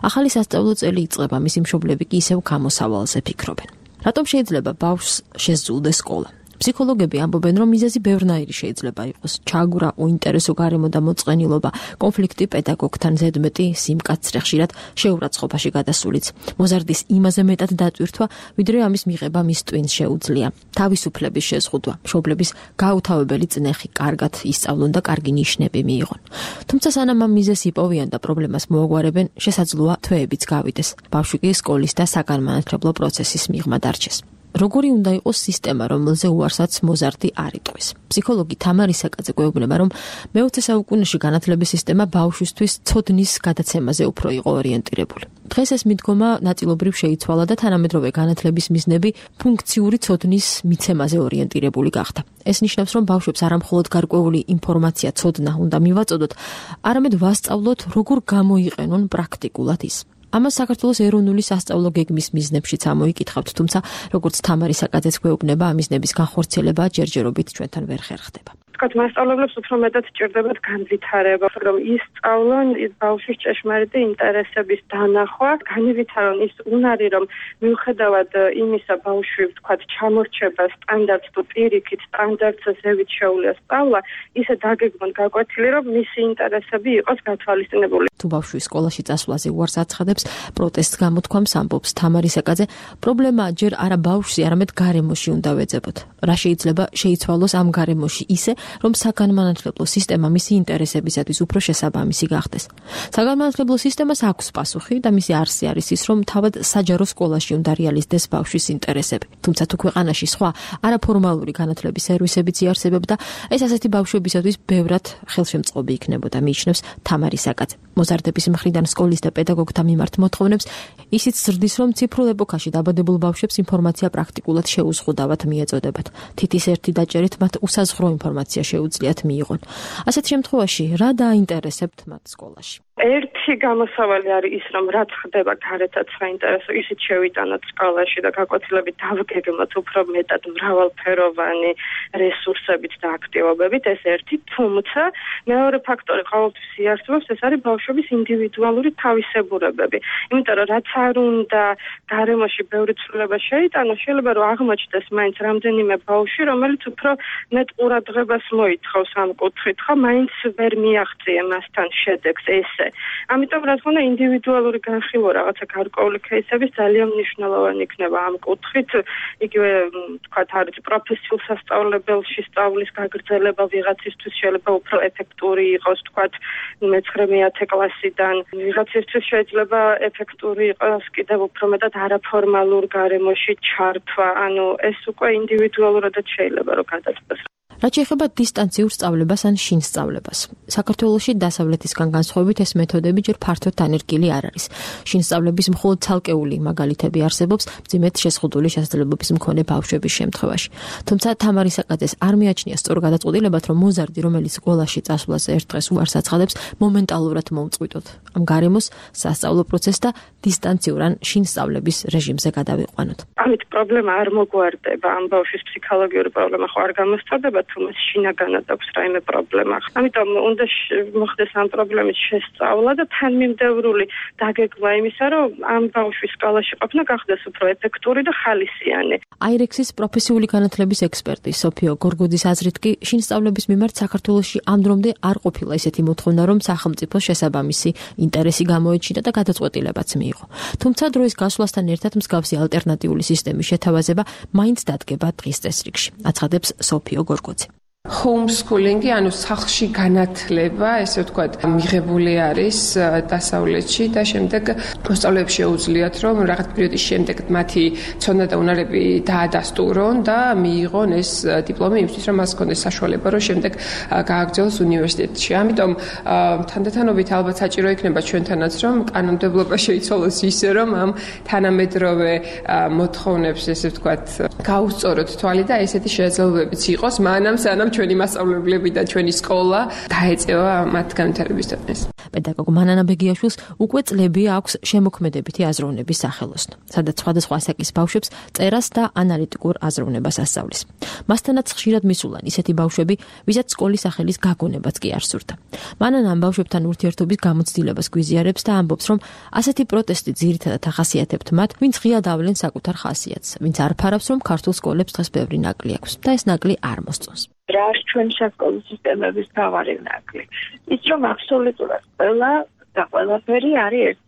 ახალი სასწავლო წელი იწყება, მისი მშობლები კი ისევ გამოსავალზე ფიქრობენ. რატომ შეიძლება ბავშვს შესძულდეს სკოლა? ფსიქოლოგები ამბობენ, რომ მიზეზი ბევრნაირი შეიძლება იყოს. ჩაგვრა, უინტერესო გარემო და მოწყენილობა, კონფლიქტი პედაგოგთან, ზედმეტი სიმკაცრე, ხშირად შეურაცხყოფაში გადასულიც. მოზარდის იმაზე მეტად დატვირთვა, ვიდრე ამის მიღება მის ტვინს შეუძლია. თავისუფლების შეზღუდვა, მშობლების გაუთავებელი წნეხი, კარგად ისწავლონ და კარგი ნიშნები მიიღონ. თუმცა სანამ ამ მიზეზს იპოვიან და პრობლემას მოაგვარებენ, შესაძლოა თვეებიც გავიდეს. ბავშვი კი სკოლის და საგანმანათლებლო პროცესის მიღმა დარჩეს. როგორი უნდა იყოს სისტემა, რომელზე უარსაც მოზარდი არ იტყვის. ფსიქოლოგი თამარი საკაძე გვეუბნება, რომ მე-20 საუკუნეში განათლების სისტემა ბავშვისთვის ცოდნის გადაცემაზე უფრო იყო ორიენტირებული. დღეს ეს მიდგომა ნაწილობრივ შეიცვალა და თანამედროვე განათლების მიზნები ფუნქციური ცოდნის მიცემაზე ორიენტირებული გახდა. ეს ნიშნავს, რომ ბავშვებს არამხოლოდ გარკვეული ინფორმაცია, ცოდნა უნდა მივაწოდოთ, არამედ ვასწავლოთ, როგორ გამოიყენონ პრაქტიკულად ის. ამას საქართველოს ეროვნული სასწავლო გეგმის მიზნებშიც ამოიკითხავთ, თუმცა როგორც თამარი საკაძეც გვეუბნება, ამ მიზნების განხორციელება ჯერჯერობით ჩვენთან ვერ ხერხდება. თქვათ, მასწავლებლებს უფრო მეტად სჭირდებათ განვითარება, რომ ისწავლონ ბავშვის ჭეშმარიტი ინტერესების დანახვა, განვითარონ ის უნარი, რომ მიუხედავად იმისა, ბავშვი, თქვათ, ჩამორჩება სტანდარტს თუ პირიქით სტანდარტზე ზევით შეუძლია სწავლა, ისე დაგეგმონ გაკვეთილი, რომ მისი ინტერესები იყოს გათვალისწინებული. თუ ბავშვი სკოლაში წასვლაზე უარს აცხადებს, პროტესტს გამოთქვამს, ამბობს თამარი საკაძე, პრობლემა ჯერ არა ბავშვში, არამედ გარემოში უნდა ვეძებოთ. რა შეიძლება შეიცვალოს ამ გარემოში ისე, რომ საგანმანათლებლო სისტემა მისი ინტერესებისათვის უფრო შესაბამისი გახდეს. საგანმანათლებლო სისტემას აქვს პასუხი და მისი არსი არის ის, რომ თავად საჯარო სკოლაში უნდა რეალიზდეს ბავშვის ინტერესები. თუმცა თუ ქვეყანაში სხვა არაფორმალური განათლების სერვისებიც იარსებებდა და ეს ასეთი ბავშვებისათვის ბევრად ხელშემწყობი იქნებოდა, მიიჩნევს თამარი საკაძე. მოზარდების მხრიდან სკოლის და პედაგოგთა მიმართ მოთხოვნებს ისიც ზრდის, რომ ციფრულ ეპოქაში დაბადებულ ბავშვებს ინფორმაცია პრაქტიკულად შეუზღუდავად მიეწოდებათ. თითის ერთი დაჭერით მათ უსაზღვრო ინფორმაცია შეუძლიათ მიიღონ. ასეთ შემთხვევაში რა დაინტერესებთ მათ სკოლაში? ერთი გამოსავალი არის ის, რომ რაც ხდება გარეთაც საინტერესო, ისიც შევიტანოთ სკოლაში და გაკვეთილებით დავგეგმოთ უფრო მეტად მრავალფეროვანი რესურსებით და აქტივობებით, ეს ერთი. თუმცა მეორე ფაქტორი ყოველთვის იარსებობს, ეს არის ბავშვების ინდივიდუალური თავისებურებები. იმიტომ რომ რაც არ უნდა გარემოში ბევრი ცვლილება შეიტანოს, შეიძლება რომ აღმოჩნდეს მაინც რამდენიმე ბავშვი, რომელიც უფრო მეტ ყურადღებას მოითხოვს ამ კუთხით, ხო, მაინც ვერ მიაღწია მასთან შედეგს ესე. ამიტომ რა თქმა უნდა ინდივიდუალური განხილვა რაღაცა გარკვეული кейსების ძალიან მნიშვნელოვანი იქნება ამ კუთხით. იგივე თქვათ არის პროფესიულ სასწავლებელში სწავლის გაგრძელება ვიღაცისთვის შეიძლება უფრო ეფექტური იყოს, თქვათ მე-9-10 კლასიდან. ვიღაცისთვის შეიძლება ეფექტური იყოს კიდევ უფრო მეტად არაფორმალურ გარემოში ჩართვა. ანუ ეს უკვე ინდივიდუალურად შეიძლება რომ გადაწყვეტოს. რაც შეეხება დისტანციურ სწავლებას ან შინ სწავლებას. საქართველოში დასავლეთისგან განსხვავებით ეს მეთოდები ჯერ ფართოდ დანერგილი არ არის. შინ სწავლების მხოლოდ ცალკეული მაგალითები არსებობს მძიმედ შეზღუდული შესაძლებლობების მქონე ბავშვების შემთხვევაში. თუმცა თამარი საკაძეს არ მიაჩნია სწორ გადაწყვეტილებად, რომ მოზარდი, რომელიც სკოლაში წასვლაზე ერთ დღეს უარს აცხადებს, მომენტალურად მოუწყვიტოთ ამ გარემოს სასწავლო პროცესს და დისტანციურ ან შინ სწავლების რეჟიმზე გადავიყვანოთ. ამით პრობლემა არ მოგვარდება, ამ ბავშვის ფსიქოლოგიური პრობლემა ხო არ გამოსწორდება, თუმცა შინაგანად აქვს რაიმე პრობლემა. ამიტომ უნდა მოხდეს ამ პრობლემის შესწავლა და თანმიმდევრული დაგეგმა იმისა, რომ ამ ბავშვის სკოლაში ყოფნა გახდეს უფრო ეფექტური და ხალისიანი. აირექსის პროფესიული განათლების ექსპერტი სოფიო გორგოძის აზრით კი შინ სწავლების მიმართ საქართველოში ამ დრომდე არ ყოფილა ისეთი მოთხოვნა, რომ სახელმწიფოს შესაბამისი ინტერესი გამოეჩინა და გადაწყვეტილებაც მიიღო. თუმცა დროის გასვლასთან ერთად მსგავსი ალტერნატიული სისტემის შეთავაზება მაინც დადგება დღის წესრიგში, აცხადებს სოფიო გორგოძე. homeschooling-ი, ანუ სახლში განათლება, ესე ვთქვათ, მიღებული არის დასავლეთში და შემდეგ მოსწავლეებს შეუძლიათ, რომ რაღაც პერიოდის შემდეგ მათი ცოდნა და უნარები დაადასტურონ და მიიღონ ეს დიპლომი იმისთვის, რომ მას ჰქონდეს საშუალება, რომ შემდეგ გააგრძელოს უნივერსიტეტში. ამიტომ თანდათანობით ალბათ საჭირო იქნება ჩვენთანაც, რომ კანონმდებლობა შეიცვალოს ისე, რომ ამ თანამედროვე მოთხოვნებს, ესე ვთქვათ, გაუსწოროთ თვალი და ესეთი შესაძლებლობებიც იყოს, მანამ სანამ ჩვენი მასწავლებლები და ჩვენი სკოლა დაეწევა მათ განვითარების დონეს. პედაგოგ მანანა ბეგიაშვილს უკვე წლები აქვს შემოქმედებითი აზროვნების სახელოსნო, სადაც სხვადასხვა ასაკის ბავშვებს წერას და ანალიტიკურ აზროვნებას ასწავლის. მასთანაც ხშირად მისულან ისეთი ბავშვები, ვისაც სკოლის სახელის გაგონებაც კი არ სურდა. მანანა ამ ბავშვებთან ურთიერთობის გამოცდილებას გვიზიარებს და ამბობს, რომ ასეთი პროტესტი ძირითადად ახასიათებთ მათ, ვინც ღიად ავლენ საკუთარ ხასიათს, ვინც არ ფარავს, რომ ქართულ სკოლებს დღეს ბევრი ნაკლი აქვს და ეს ნაკლი არ მოსწონს. რა არის ჩვენი სასკოლო სისტემების მთავარი ნაკლი? ის რომ აბსოლუტურად ყველა და ყველაფერი არის ერთ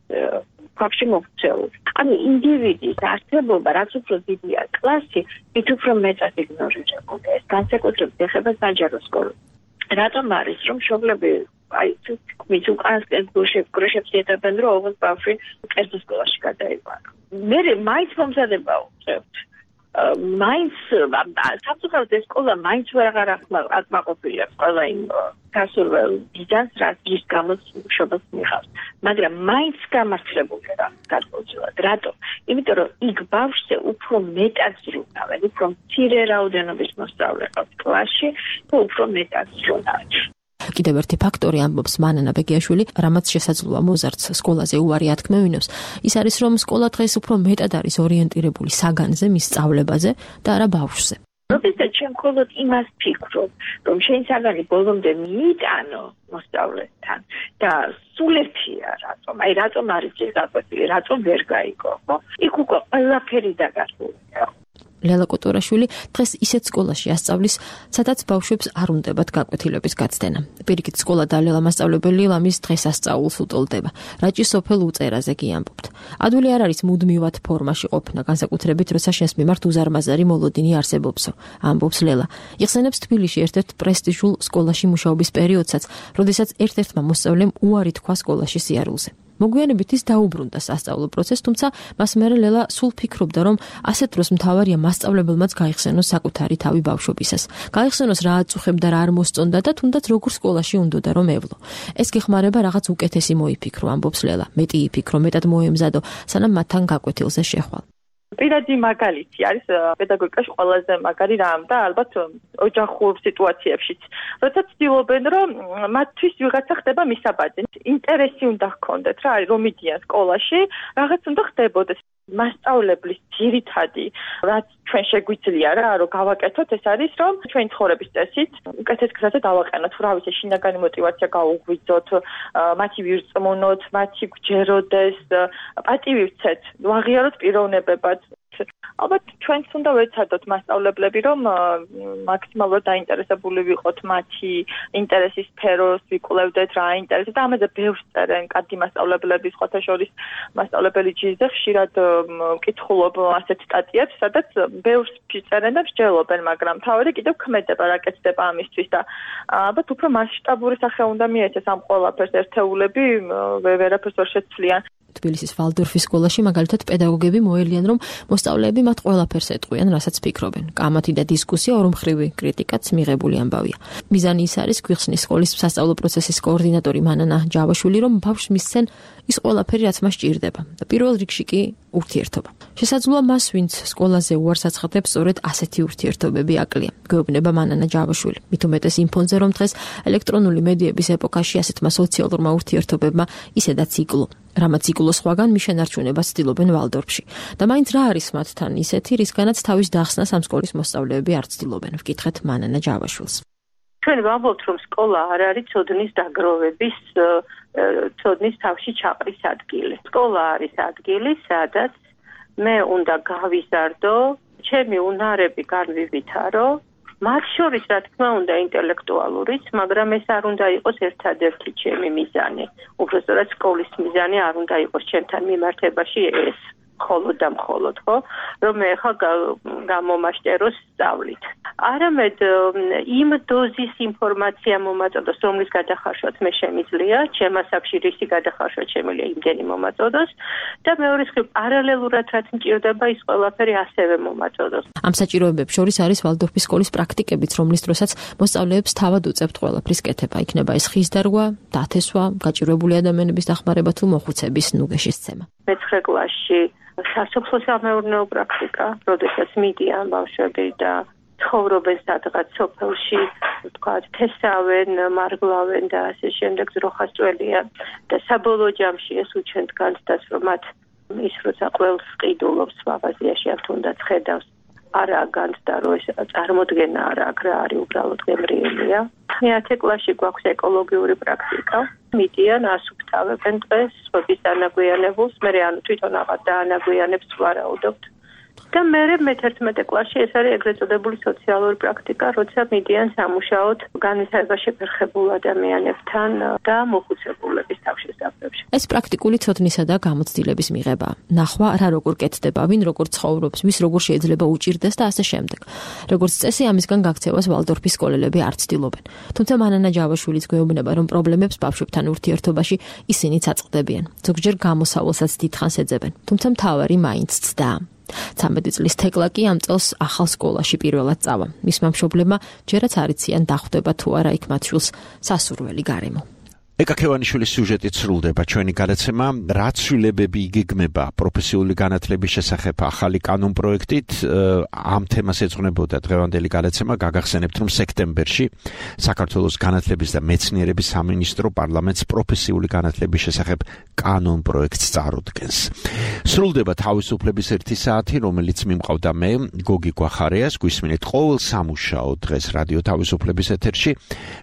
ქვაბში მოქცეული. ანუ ინდივიდის არსებობა, რაც უფრო დიდია კლასი, მით უფრო მეტად იგნორირებულია. ეს განსაკუთრებით ეხება საჯარო სკოლას. რატომ არის რომ მშობლები მის უკანასკენ გუშებს ეტებენ, რომ ოღონდ ბავშვი კერძო სკოლაში გადაიყვანა. მე მაინც მომზადება უწევთ. მაინც საფუძვლად ეს სკოლა მაინც ვეღარ აკმაყოფილია ყველა იმ გასურველ ბიზნესს, რაც ის გამოც მშობელს მიიღავს. მაგრამ მაინც გამართლებულია რა გადმოცემად. რატომ? იმიტომ რომ იქ ბავშვზე უფრო მეტად ზრუნავენ, უფრო მცირე რაოდენობის მოსწავლე ყავს კლასში და უფრო მეტად ზრუნავენ. კიდევ ერთი ფაქტორი ამბობს მანანა ბეგიაშვილი, რამაც შესაძლოა მოზარდს სკოლაზე უარი ათქმევინოს, ის არის რომ სკოლა დღეს უფრო მეტად არის ორიენტირებული საგანზე, მის სწავლებაზე და არა ბავშვზე. როდესაც ჩვენ მხოლოდ იმას ფიქრობ, რომ შენ საგანი ბოლომდე მიიტანო მოსწავლესთან და სულ ერთია რატომ? აი რატომ არის ეს გაკვეთილი, რატომ ვერ გაიგო, ხო? იქ უკვე ყველაფერი დაგასრულია. ლელა კოტორაშვილი დღეს ისეთ სკოლაში ასწავლის, სადაც ბავშვებს არ უნდებათ გაკვეთილების გაცდენა. პირიქით სკოლა და ლელა მასწავლებელი ლამის დღეს ასწაულს უტოლდება. რაჭის სოფელ უწერაზე კი ამბობთ. ადვილი არ არის მუდმივად ფორმაში ყოფნა, განსაკუთრებით როცა შენს მიმართ უზარმაზარი მოლოდინი არსებობსო, ამბობს ლელა. იხსენებს თბილისში ერთ-ერთ პრესტიჟულ სკოლაში მუშაობის პერიოდსაც, როდესაც ერთ-ერთმა მოსწავლემ უარი თქვა სკოლაში სიარულზე. მოგვიანებით ის დაუბრუნდა სასწავლო პროცესს, თუმცა მას მერე ლელა სულ ფიქრობდა, რომ ასეთ დროს მთავარია მასწავლებელმაც გაიხსენოს საკუთარი თავი ბავშვობისას. გაიხსენოს რა აწუხებდა, რა არ მოსწონდა და თუნდაც როგორ სკოლაში უნდოდა რომ ევლო. ეს გეხმარება რაღაც უკეთესი მოიფიქრო, ამბობს ლელა. მეტი იფიქრო, მეტად მოემზადო, სანამ მათთან გაკვეთილზე შეხვალ. პირადი მაგალითი არის პედაგოგიკაში ყველაზე მაგარი რამ და ალბათ ოჯახურ სიტუაციებშიც. როცა ცდილობენ, რომ მათთვის ვიღაცა ხდება მისაბაძი, ინტერესი უნდა ჰქონდეთ რა, რომ მიდიან სკოლაში, რაღაც უნდა ხდებოდეს. მასწავლებლის ძირითადი, რაც ჩვენ შეგვიძლია რა, რომ გავაკეთოთ, ეს არის, რომ ჩვენი ცხოვრების წესით უკეთეს გზაზე დავაყენოთ, რა ვიცი, შინაგანი мотиваცია გაუღვიძოთ, მათი ვირწმუნოთ, მათი გვჯეროდეს, პატივი ვცეთ, ვაღიაროთ პიროვნებებად. ალბათ ჩვენც უნდა ვეცადოთ მასწავლებლები, რომ მაქსიმალურად დაინტერესებული ვიყოთ მათი ინტერესის სფეროს, ვიკვლევდეთ რა ინტერესებს და ამაზე ბევრს წერენ კარგი მასწავლებლები, სხვათა შორის მასწავლებელი ჯიზე ხშირად მკითხულობ ასეთ სტატიებს, სადაც ბევრს წერენ და მსჯელობენ, მაგრამ თავი კიდევ ქმედება რა კეთდება ამისთვის და ალბათ უფრო მასშტაბური სახე უნდა მიეცეს ამ ყველაფერს ერთეულები, ვერაფერს ვერ შეცვლიან. თბილისის ვალდორფის სკოლაში მაგალითად პედაგოგები მოელიან, რომ მოსწავლეები მათ ყველაფერს ეტყვიან, რასაც ფიქრობენ. კამათი და დისკუსია ორმხრივი კრიტიკაც მიღებული ამბავია. მიზანი ის არის, გვიხსნის სკოლის სასწავლო პროცესის კოორდინატორი მანანა ჯავაშვილი, რომ ბავშვს მისცენ ის ყველაფერი, რაც მას ჭირდება. და პირველ რიგში კი ურთიერთობა. შესაძლოა მას, ვინც სკოლაზე უარს აცხადებს, სწორედ ასეთი ურთიერთობები აკლია. გვეუბნება მანანა ჯავაშვილი. მით უმეტეს იმ ფონზე, რომ დღეს ელექტრონული მედიების ეპოქაში ასეთმა სოციალურმა ურთიერთობებმა ისედაც იკლო. რამაც იკლო სხვაგან მის შენარჩუნებას ცდილობენ ვალდორფში. და მაინც რა არის მათთან ისეთი, რისგანაც თავის დახსნას ამ სკოლის მოსწავლეები არ ცდილობენ, ვკითხეთ მანანა ჯავაშვილს. ჩვენ ვამბობთ, რომ სკოლა არ არის ცოდნის დაგროვების, ცოდნის თავში ჩაყრის ადგილი. სკოლა არის ადგილი, სადაც მე უნდა გავიზარდო, ჩემი უნარები განვივითარო, მათ შორის რა თქმა უნდა ინტელექტუალურიც, მაგრამ ეს არ უნდა იყოს ერთადერთი ჩემი მიზანი. უბრალოდ სკოლის მიზანი არ უნდა იყოს ჩემთან მიმართებაში ეს. მხოლოდ და მხოლოდ, ხო? რომ მე ხა გამომაშტეროს სწავლით. არამედ იმ დოზის ინფორმაცია მომაწოდოს, რომლის გადახარშვაც მე შემიძლია, ჩემ ასაკში რისი გადახარშვა შემიძლია იმდენი მომაწოდოს და მეორე მხრივ პარალელურად რაც მჭირდება ის ყველაფერი ასევე მომაწოდოს. ამ საჭიროებებს შორის არის ვალდორფის სკოლის პრაქტიკებიც, რომლის დროსაც მოსწავლეებს თავად უწევთ ყველაფრის კეთება. იქნება ეს ხის დარგვა, დათესვა, გაჭირვებული ადამიანების დახმარება თუ მოხუცების ნუგეშის ცემა. მე-9 კლასში სასოფლო-სამეურნეო პრაქტიკა, როდესაც მიდიან ბავშვები და ცხოვრობენ სადღაც სოფელში, ვთქვათ, თესავენ, მარგლავენ და ასე შემდეგ ძროხასწველია და საბოლოო ჯამში ეს უჩვენთ განცდას, რომ მათ ის როცა ყველს ყიდულობს მაღაზიაში ან თუნდაც ხედავს არა განცდა, რომ ეს წარმოდგენა არა აქ რა არის, უბრალოდ გემრიელია. 10 კლასში გვაქვს ეკოლოგიური პრაქტიკა. მიდიან, ასუფთავებენ დღეს, სხვების დანაგვიანებულს, მე ანუ თვითონ აღარ დაანაგვიანებს ვარაუდობთ. და მე მე-11 კლასში ეს არის ეგრეთ წოდებული სოციალური პრაქტიკა, როცა მიდიან სამუშაოდ განვითარება შეფერხებულ ადამიანებთან და მოხუცებულების თავშესაფრებში. ეს პრაქტიკული ცოდნისა და გამოცდილების მიღება. ნახვა რა როგორ კეთდება, ვინ როგორ ცხოვრობს, ვის როგორ შეიძლება უჭირდეს და ასე შემდეგ. როგორც წესი, ამისგან გაქცევას ვალდორფის სკოლელები არ ცდილობენ. თუმცა მანანა ჯავაშვილიც გვეუბნება, რომ პრობლემებს ბავშვებთან ურთიერთობაში ისინიც აწყდებიან. ზოგჯერ გამოსავალსაც დიდხანს ეძებენ, თუმცა მთავარი მაინც ცდა. 13 წლის თეკლა კი ამ წელს ახალ სკოლაში პირველად წავა. მისმა მშობლებმა ჯერაც არ იციან დახვდება თუ არა იქ მათ შვილს სასურველი გარემო. ეკა ქევანიშვილის სიუჟეტით სრულდება ჩვენი გადაცემა რა ცვლილებები იგეგმება პროფესიული განათლების შესახებ ახალი კანონპროექტით ამ თემას ეძღვნებოდა დღევანდელი გადაცემა გაგახსენებთ რომ სექტემბერში საქართველოს განათლების და მეცნიერების სამინისტრო პარლამენტს პროფესიული განათლების შესახებ კანონპროექტს წარუდგენს სრულდება თავისუფლების 1 საათი რომელიც მიმყავდა მე გოგი გვახარიას გვისმინეთ ყოველ სამუშაო დღეს რადიო თავისუფლების ეთერში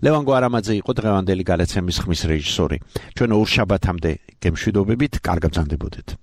ლევან გვარამაძე იყო დღევანდელი გადაცემის ხმის რეჟისორი ჩვენ ორ შაბათამდე გემშვიდობებით კარგად გრძანდებოდეთ